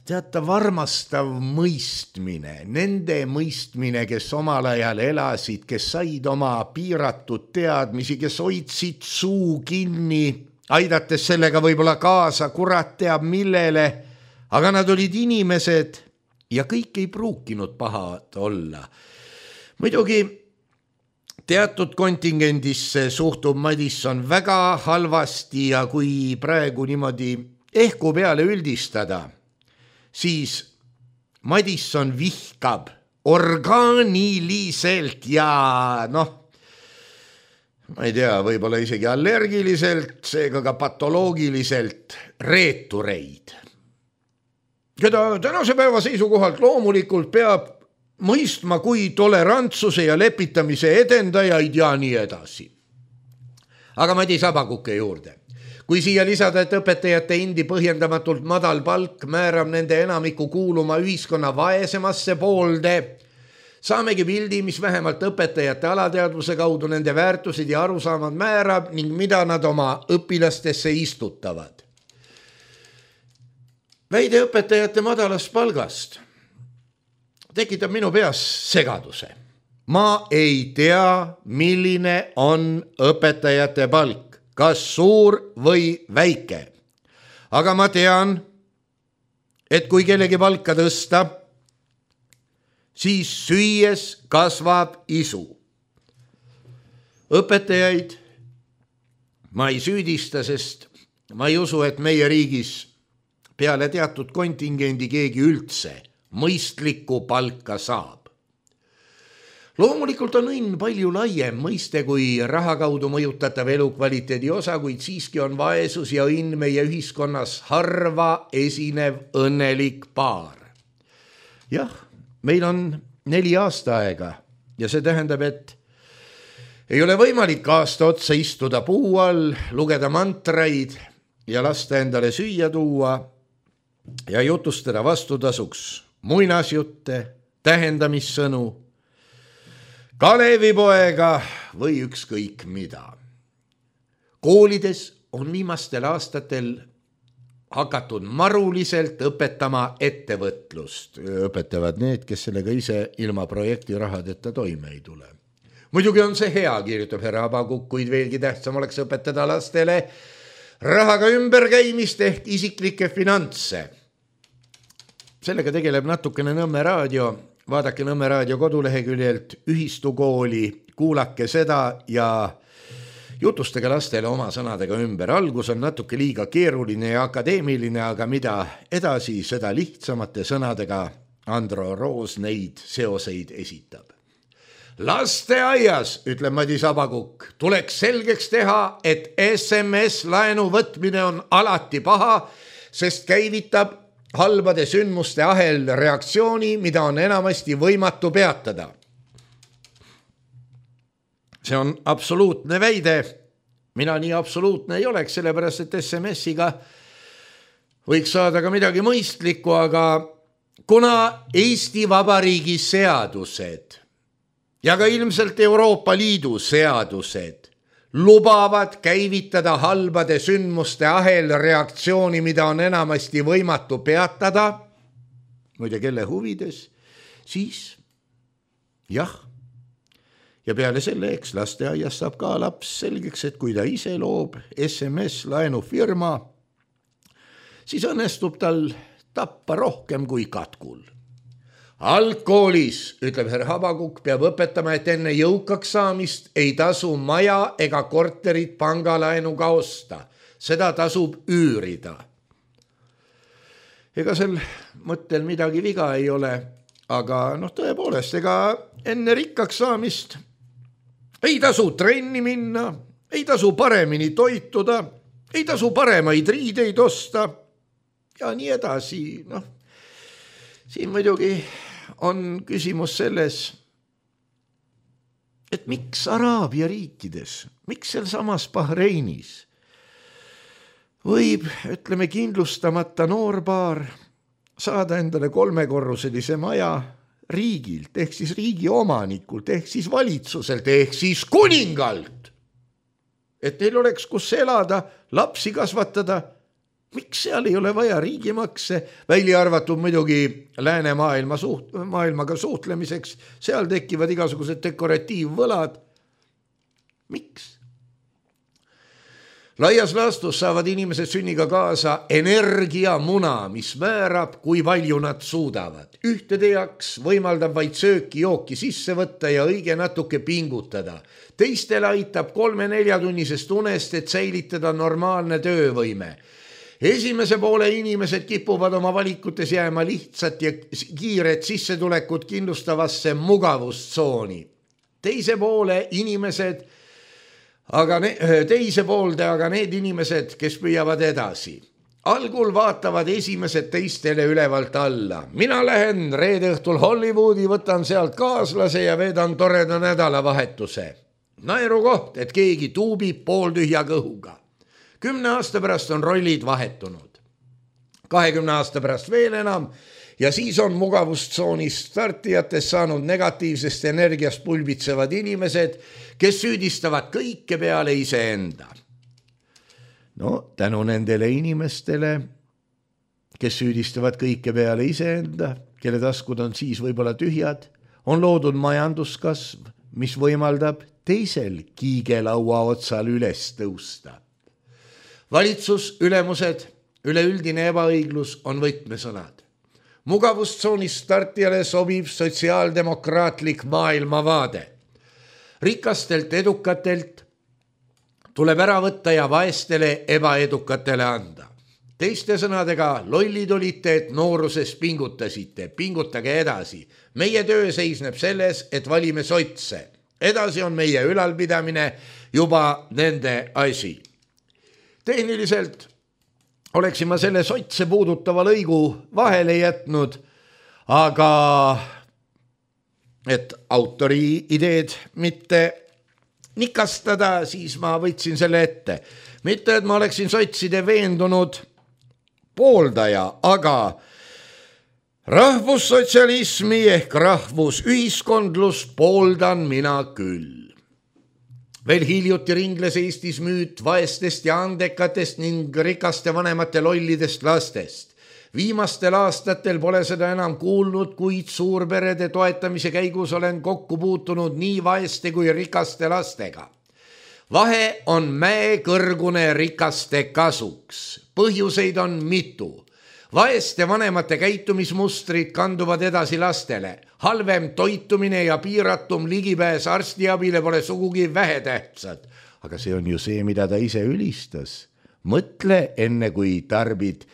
teatav armastav mõistmine, nende mõistmine, kes omal ajal elasid, kes said oma piiratud teadmisi, kes hoidsid suu kinni, aidates sellega võib-olla kaasa, kurat teab millele, aga nad olid inimesed ja kõik ei pruukinud pahad olla. Muidugi teatud kontingendisse suhtub Madisson väga halvasti ja kui praegu niimoodi ehku peale üldistada, siis Madisson vihkab orgaaniliselt ja noh, ma ei tea, võib-olla isegi allergiliselt, seega ka patoloogiliselt reetureid, keda tänase päeva seisukohalt loomulikult peab mõistma kui tolerantsuse ja lepitamise edendajaid ja nii edasi. Aga Madis Abakuke juurde. Kui siia lisada, et õpetajate endi põhjendamatult madal palk määrab nende enamiku kuuluma ühiskonna vaesemasse poolde, saamegi pildi, mis vähemalt õpetajate alateadvuse kaudu nende väärtused ja arusaamad määrab ning mida nad oma õpilastesse istutavad. Väide õpetajate madalast palgast tekitab minu peas segaduse. Ma ei tea, milline on õpetajate palk, kas suur või väike. Aga ma tean, et kui kellegi palka tõsta, siis süües kasvab isu. Õpetajaid ma ei süüdista, sest ma ei usu, et meie riigis peale teatud kontingendi keegi üldse mõistlikku palka saab. Loomulikult on õnn palju laiem mõiste kui raha kaudu mõjutatav elukvaliteedi osa, kuid siiski on vaesus ja õnn meie ühiskonnas harva esinev õnnelik paar. Jah, meil on neli aastaaega ja see tähendab, et ei ole võimalik aasta otsa istuda puu all, lugeda mantraid ja lasta endale süüa tuua ja jutustada vastutasuks muinasjutte, tähendamissõnu, Kalevipoega või ükskõik mida. Koolides on viimastel aastatel hakatud maruliselt õpetama ettevõtlust. Õpetavad need, kes sellega ise ilma projekti rahadeta toime ei tule. Muidugi on see hea, kirjutab härra Abakuk, kuid veelgi tähtsam oleks õpetada lastele rahaga ümberkäimist ehk isiklikke finantse. Sellega tegeleb natukene Nõmme raadio, vaadake Nõmme raadio koduleheküljelt ühistukooli, kuulake seda ja jutustage lastele oma sõnadega ümber. Algus on natuke liiga keeruline ja akadeemiline, aga mida edasi, seda lihtsamate sõnadega Andro Roos neid seoseid esitab. Lasteaias, ütleb Madis Abakuk, tuleks selgeks teha, et S M S-laenu võtmine on alati paha, sest käivitab halbade sündmuste ahel reaktsiooni, mida on enamasti võimatu peatada. See on absoluutne väide. Mina nii absoluutne ei oleks, sellepärast et S M S-iga võiks saada ka midagi mõistlikku, aga kuna Eesti Vabariigi seadused ja ka ilmselt Euroopa Liidu seadused lubavad käivitada halbade sündmuste ahel reaktsiooni, mida on enamasti võimatu peatada, muide kelle huvides, siis jah. Ja peale selle, eks lasteaias saab ka laps selgeks, et kui ta ise loob S M S-laenufirma, siis õnnestub tal tappa rohkem kui katkul. Algkoolis, ütleb härra Abakuk, peab õpetama, et enne jõukaks saamist ei tasu maja ega korterit pangalaenuga osta. Seda tasub üürida. Ega sel mõttel midagi viga ei ole, aga noh, tõepoolest, ega enne rikkaks saamist ei tasu trenni minna, ei tasu paremini toituda, ei tasu paremaid riideid osta ja nii edasi. Noh, siin muidugi on küsimus selles, et miks Araabia riikides, miks seal samas Bahreinis võib, ütleme, kindlustamata noorpaar saada endale kolmekorruselise maja riigilt, ehk siis riigi omanikult, ehk siis valitsuselt, ehk siis kuningalt, et neil oleks kus elada, lapsi kasvatada. Miks seal ei ole vaja riigimakse, välja arvatud muidugi läänemaailma suht, maailmaga suhtlemiseks, seal tekivad igasugused dekoratiivvõlad. Miks? Laias laastus saavad inimesed sünniga kaasa energiamuna, mis määrab, kui palju nad suudavad. Ühtede jaoks võimaldab vaid sööki jooki sisse võtta ja õige natuke pingutada. Teistele aitab kolme-neljatunnisest unest, et säilitada normaalne töövõime. Esimese poole inimesed kipuvad oma valikutes jääma lihtsat ja kiiret sissetulekut kindlustavasse mugavustsooni. Teise poole inimesed Aga ne, teise poolde, aga need inimesed, kes püüavad edasi. Algul vaatavad esimesed teistele ülevalt alla. Mina lähen reede õhtul Hollywoodi, võtan sealt kaaslase ja veedan toreda nädalavahetuse. Naeru koht, et keegi tuubib pooltühja kõhuga. Kümne aasta pärast on rollid vahetunud. Kahekümne aasta pärast veel enam ja siis on mugavustsoonist startijates saanud negatiivsest energiast pulbitsevad inimesed, kes süüdistavad kõike peale iseenda. No, tänu nendele inimestele, kes süüdistavad kõike peale iseenda, kelle taskud on siis võib-olla tühjad, on loodud majanduskasv, mis võimaldab teisel kiigelaua otsal üles tõusta. Valitsus, ülemused, üleüldine ebaõiglus on võtmesõnad. Mugavustsoonist startijale sobib sotsiaaldemokraatlik maailmavaade. Rikastelt edukatelt tuleb ära võtta ja vaestele ebaedukatele anda. Teiste sõnadega, lollid olite, et nooruses pingutasite, pingutage edasi. Meie töö seisneb selles, et valime sotse. Edasi on meie ülalpidamine juba nende asi. Tehniliselt oleksin ma selle sotse puudutava lõigu vahele jätnud, aga et autori ideed mitte nikastada, siis ma võtsin selle ette. Mitte, et ma oleksin sotside veendunud pooldaja, aga rahvussotsialismi ehk rahvusühiskondlus pooldan mina küll. Veel hiljuti ringles Eestis müüt vaestest ja andekatest ning rikaste vanemate lollidest lastest. Viimastel aastatel pole seda enam kuulnud, kuid suurperede toetamise käigus olen kokku puutunud nii vaeste kui rikaste lastega. Vahe on mäekõrgune rikaste kasuks. Põhjuseid on mitu. Vaeste vanemate käitumismustrid kanduvad edasi lastele. Halvem toitumine ja piiratum ligipääs arstiabile pole sugugi vähetähtsad. Aga see on ju see, mida ta ise ülistas. Mõtle enne, kui tarbid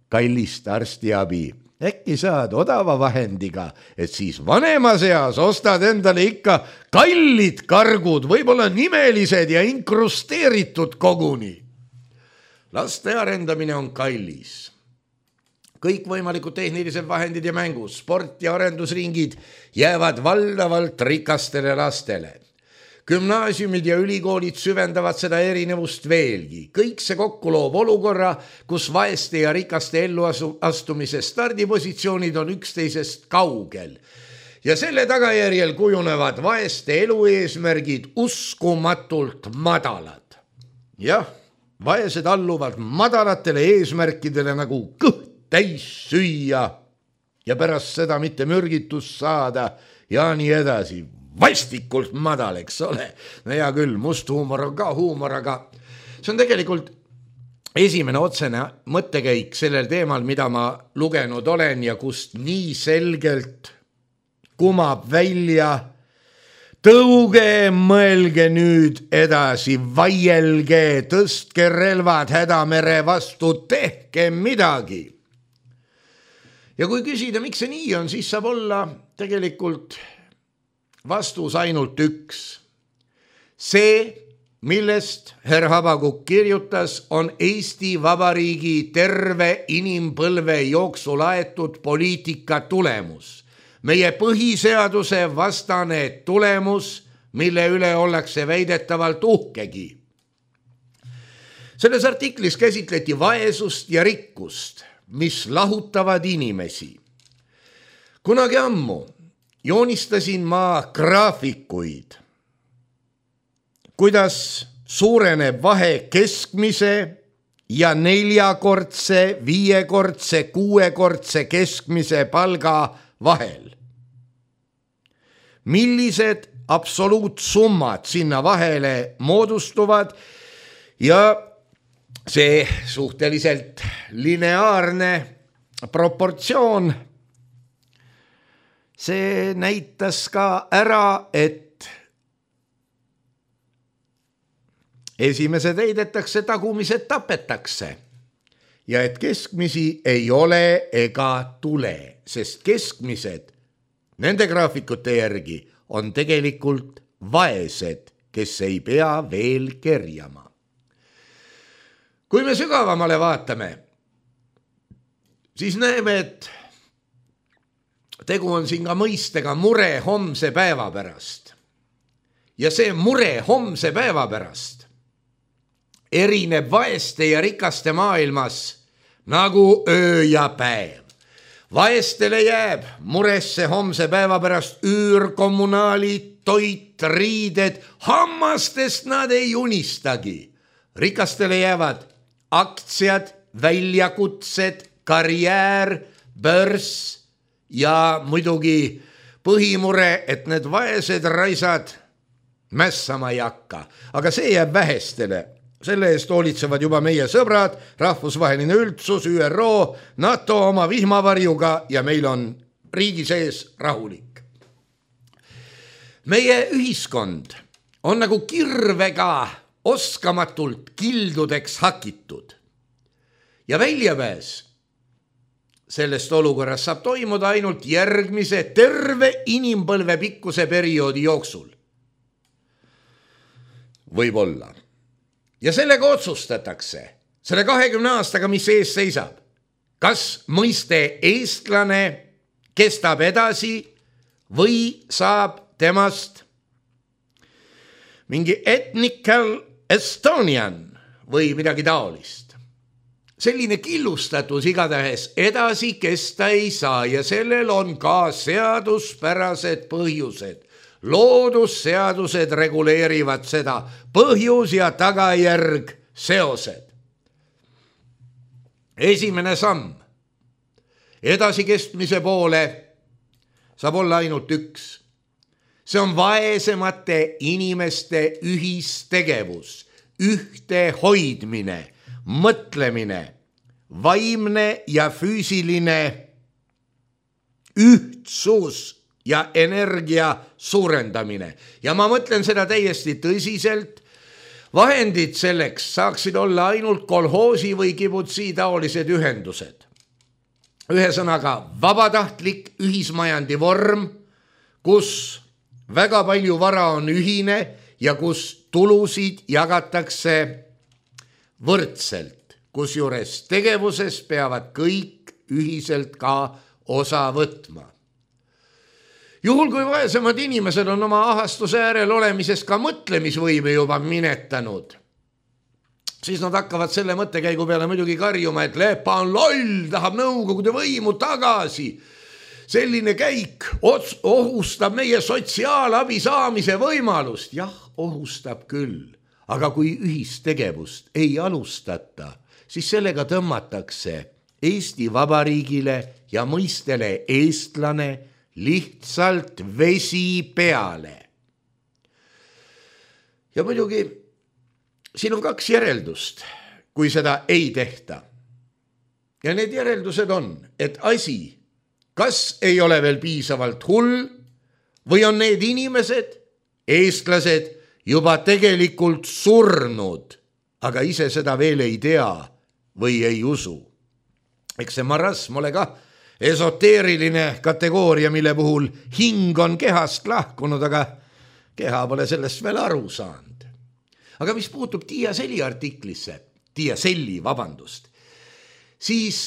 kallist arstiabi. Äkki saad odava vahendiga, et siis vanemas eas ostad endale ikka kallid kargud, võib-olla nimelised ja inkrusteeritud koguni. Laste arendamine on kallis. Kõik võimalikud tehnilised vahendid ja mängus, sport ja arendusringid jäävad valdavalt rikastele lastele. Gümnaasiumid ja ülikoolid süvendavad seda erinevust veelgi. Kõik see kokku loob olukorra, kus vaeste ja rikaste elluastumise stardipositsioonid on üksteisest kaugel. Ja selle tagajärjel kujunevad vaeste elueesmärgid uskumatult madalad. Jah, vaesed alluvad madalatele eesmärkidele nagu kõht täis süüa ja pärast seda mitte mürgitust saada ja nii edasi. Vastikult madal, eks ole. No hea küll, must huumor on ka huumor, aga see on tegelikult esimene otsene mõttekäik sellel teemal, mida ma lugenud olen ja kust nii selgelt kumab välja. Tõuge, mõelge nüüd edasi, vaielge, tõstke relvad hädamere vastu, tehke midagi. Ja kui küsida, miks see nii on, siis saab olla tegelikult vastus ainult üks. See, millest herr Habakuk kirjutas, on Eesti Vabariigi terve inimpõlve jooksul aetud poliitika tulemus. Meie põhiseaduse vastane tulemus, mille üle ollakse väidetavalt uhkegi. Selles artiklis käsitleti vaesust ja rikkust, mis lahutavad inimesi. Kunagi ammu joonistasin ma graafikuid, kuidas suureneb vahe keskmise ja neljakordse, viiekordse, kuuekordse keskmise palga vahel. Millised absoluutsummad sinna vahele moodustuvad ja see suhteliselt lineaarne proportsioon, see näitas ka ära, et esimesed heidetakse, tagumised tapetakse ja et keskmisi ei ole ega tule, sest keskmised nende graafikute järgi on tegelikult vaesed, kes ei pea veel kerjama. Kui me sügavamale vaatame, siis näeme, et tegu on siin ka mõistega mure homse päeva pärast. Ja see mure homse päeva pärast erineb vaeste ja rikaste maailmas nagu öö ja päev. Vaestele jääb muresse homse päeva pärast üür, kommunaalid, toit, riided, hammastest nad ei unistagi. Rikastele jäävad aktsiad, väljakutsed, karjäär, börs ja muidugi põhimure, et need vaesed raisad mässama ei hakka. Aga see jääb vähestele. Selle eest hoolitsevad juba meie sõbrad, rahvusvaheline üldsus, Ü R O, NATO oma vihmavarjuga ja meil on riigi sees rahulik. Meie ühiskond on nagu kirvega oskamatult kildudeks hakitud. Ja väljapääs sellest olukorrast saab toimuda ainult järgmise terve inimpõlve pikkuse perioodi jooksul. Võib-olla. Ja sellega otsustatakse, selle kahekümne aastaga, mis ees seisab, kas mõiste eestlane kestab edasi või saab temast mingi ethnical Estonian või midagi taolist. Selline killustatus igatahes edasi kesta ei saa ja sellel on ka seaduspärased põhjused. Loodusseadused reguleerivad seda, põhjus ja tagajärg seosed. Esimene samm edasikestmise poole saab olla ainult üks. See on vaesemate inimeste ühistegevus, ühte hoidmine, mõtlemine, vaimne ja füüsiline ühtsus ja energia suurendamine. Ja ma mõtlen seda täiesti tõsiselt. Vahendid selleks saaksid olla ainult kolhoosi või kibutsi taolised ühendused. Ühesõnaga vabatahtlik ühismajandi vorm, kus väga palju vara on ühine ja kus tulusid jagatakse võrdselt, kusjuures tegevuses peavad kõik ühiselt ka osa võtma. Juhul kui vaesemad inimesed on oma ahastuse äärel olemisest ka mõtlemisvõime juba minetanud, siis nad hakkavad selle mõttekäigu peale muidugi karjuma, et Lepa on loll, tahab Nõukogude võimu tagasi. Selline käik ohustab meie sotsiaalabi saamise võimalust. Jah, ohustab küll, aga kui ühistegevust ei alustata, siis sellega tõmmatakse Eesti Vabariigile ja mõistele eestlane lihtsalt vesi peale. Ja muidugi siin on kaks järeldust, kui seda ei tehta. Ja need järeldused on, et asi kas ei ole veel piisavalt hull või on need inimesed, eestlased, juba tegelikult surnud, aga ise seda veel ei tea või ei usu. Eks see marasm ole ka esoteeriline kategooria, mille puhul hing on kehast lahkunud, aga keha pole sellest veel aru saanud. aga mis puutub Tiia Selli artiklisse, Tiia Selli, vabandust, siis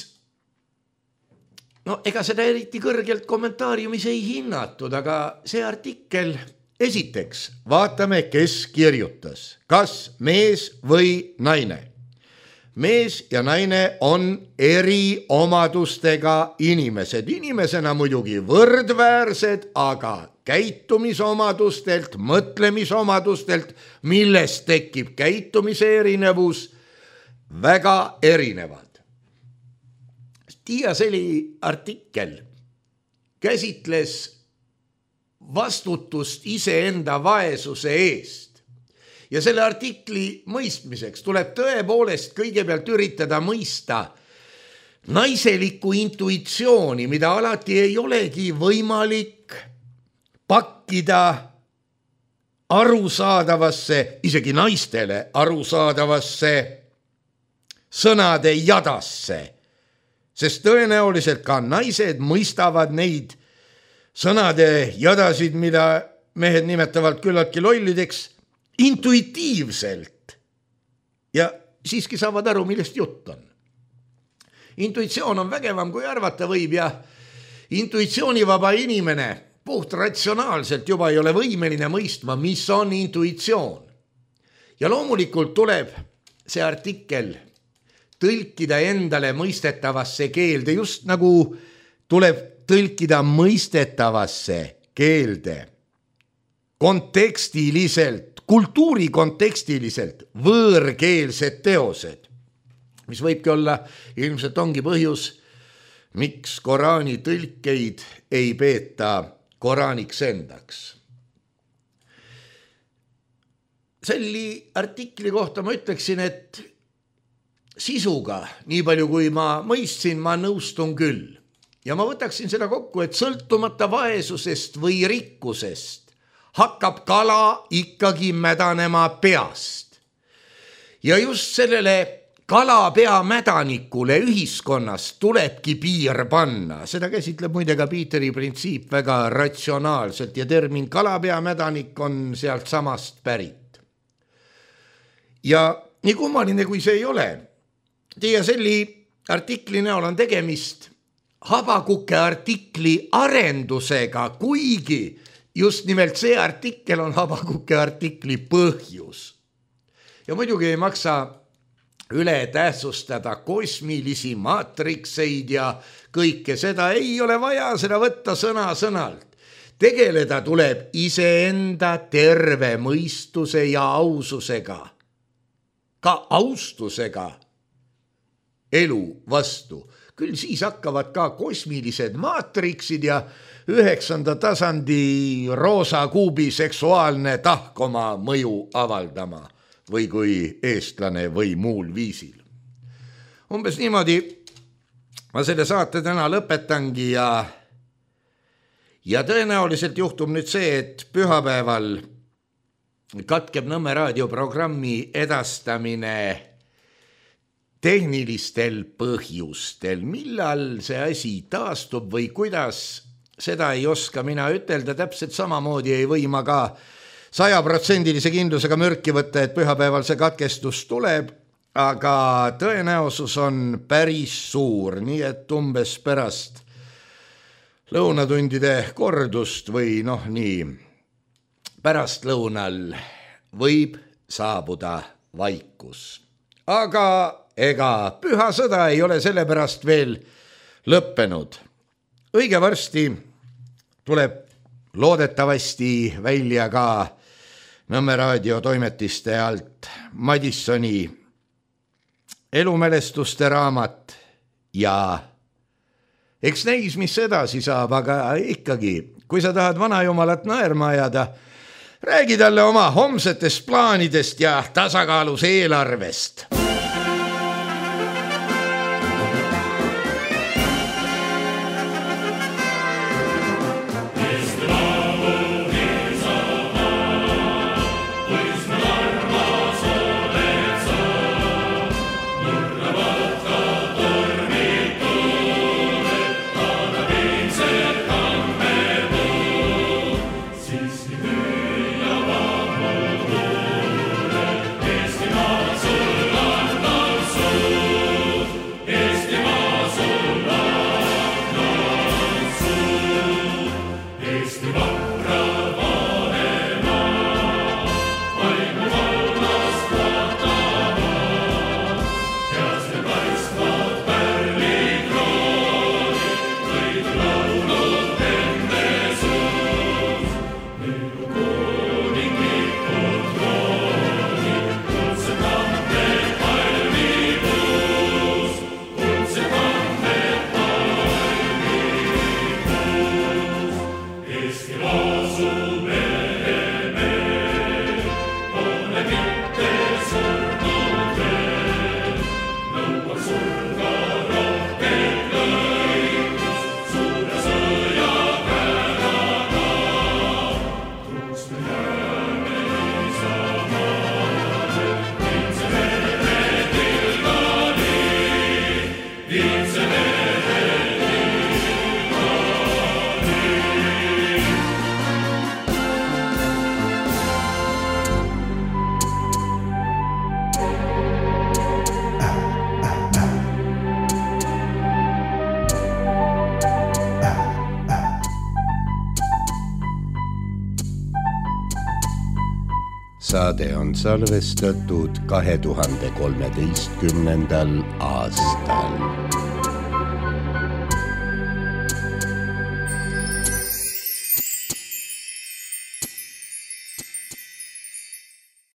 no ega seda eriti kõrgelt kommentaariumis ei hinnatud, aga see artikkel, esiteks vaatame, kes kirjutas, kas mees või naine. Mees ja naine on eri omadustega inimesed, inimesena muidugi võrdväärsed, aga käitumisomadustelt, mõtlemisomadustelt, millest tekib käitumise erinevus, väga erinevad. Tiia Selli artikkel käsitles vastutust iseenda vaesuse eest ja selle artikli mõistmiseks tuleb tõepoolest kõigepealt üritada mõista naiselikku intuitsiooni, mida alati ei olegi võimalik pakkida arusaadavasse, isegi naistele arusaadavasse sõnade jadasse. Sest tõenäoliselt ka naised mõistavad neid sõnade jadasid, mida mehed nimetavad küllaltki lollideks, intuitiivselt. Ja siiski saavad aru, millest jutt on. Intuitsioon on vägevam, kui arvata võib ja intuitsioonivaba inimene puht ratsionaalselt juba ei ole võimeline mõistma, mis on intuitsioon. Ja loomulikult tuleb see artikkel tõlkida endale mõistetavasse keelde, just nagu tuleb tõlkida mõistetavasse keelde kontekstiliselt, kultuuri kontekstiliselt võõrkeelsed teosed, mis võibki olla, ilmselt ongi põhjus, miks Koraani tõlkeid ei peeta Koraaniks endaks. Selli artikli kohta ma ütleksin, et sisuga, nii palju kui ma mõistsin, ma nõustun küll. Ja ma võtaksin seda kokku, et sõltumata vaesusest või rikkusest hakkab kala ikkagi mädanema peast. Ja just sellele kalapea mädanikule ühiskonnas tulebki piir panna. Seda käsitleb muide ka Peteri printsiip väga ratsionaalselt ja termin kalapea mädanik on sealt samast pärit. Ja nii kummaline, kui see ei ole, Tiia Selli artikli näol on tegemist Habakuke artikli arendusega, kuigi just nimelt see artikkel on Habakuke artikli põhjus. Ja muidugi ei maksa üle tähtsustada kosmilisi maatrikseid ja kõike seda, ei ole vaja seda võtta sõna sõnalt. Tegeleda tuleb iseenda terve mõistuse ja aususega, ka austusega elu vastu. Küll siis hakkavad ka kosmilised maatriksid ja üheksanda tasandi roosa kuubi seksuaalne tahk oma mõju avaldama või kui eestlane või muul viisil. Umbes niimoodi ma selle saate täna lõpetangi ja, ja tõenäoliselt juhtub nüüd see, et pühapäeval katkeb Nõmme raadioprogrammi edastamine tehnilistel põhjustel. Millal see asi taastub või kuidas, seda ei oska mina ütelda, täpselt samamoodi ei või ma ka sajaprotsendilise kindlusega mürki võtta, et pühapäeval see katkestus tuleb, aga tõenäosus on päris suur, nii et umbes pärast lõunatundide kordust või noh nii, pärast lõunal võib saabuda vaikus. Aga ega püha sõda ei ole sellepärast veel lõppenud. Õige varsti tuleb loodetavasti välja ka Nõmme raadio toimetiste alt Madissoni elumälestuste raamat ja eks näis, mis edasi saab, aga ikkagi, kui sa tahad vanajumalat naerma ajada, räägi talle oma homsetest plaanidest ja tasakaalus eelarvest. Saade on salvestatud kahe tuhande kolmeteistkümnendal aastal.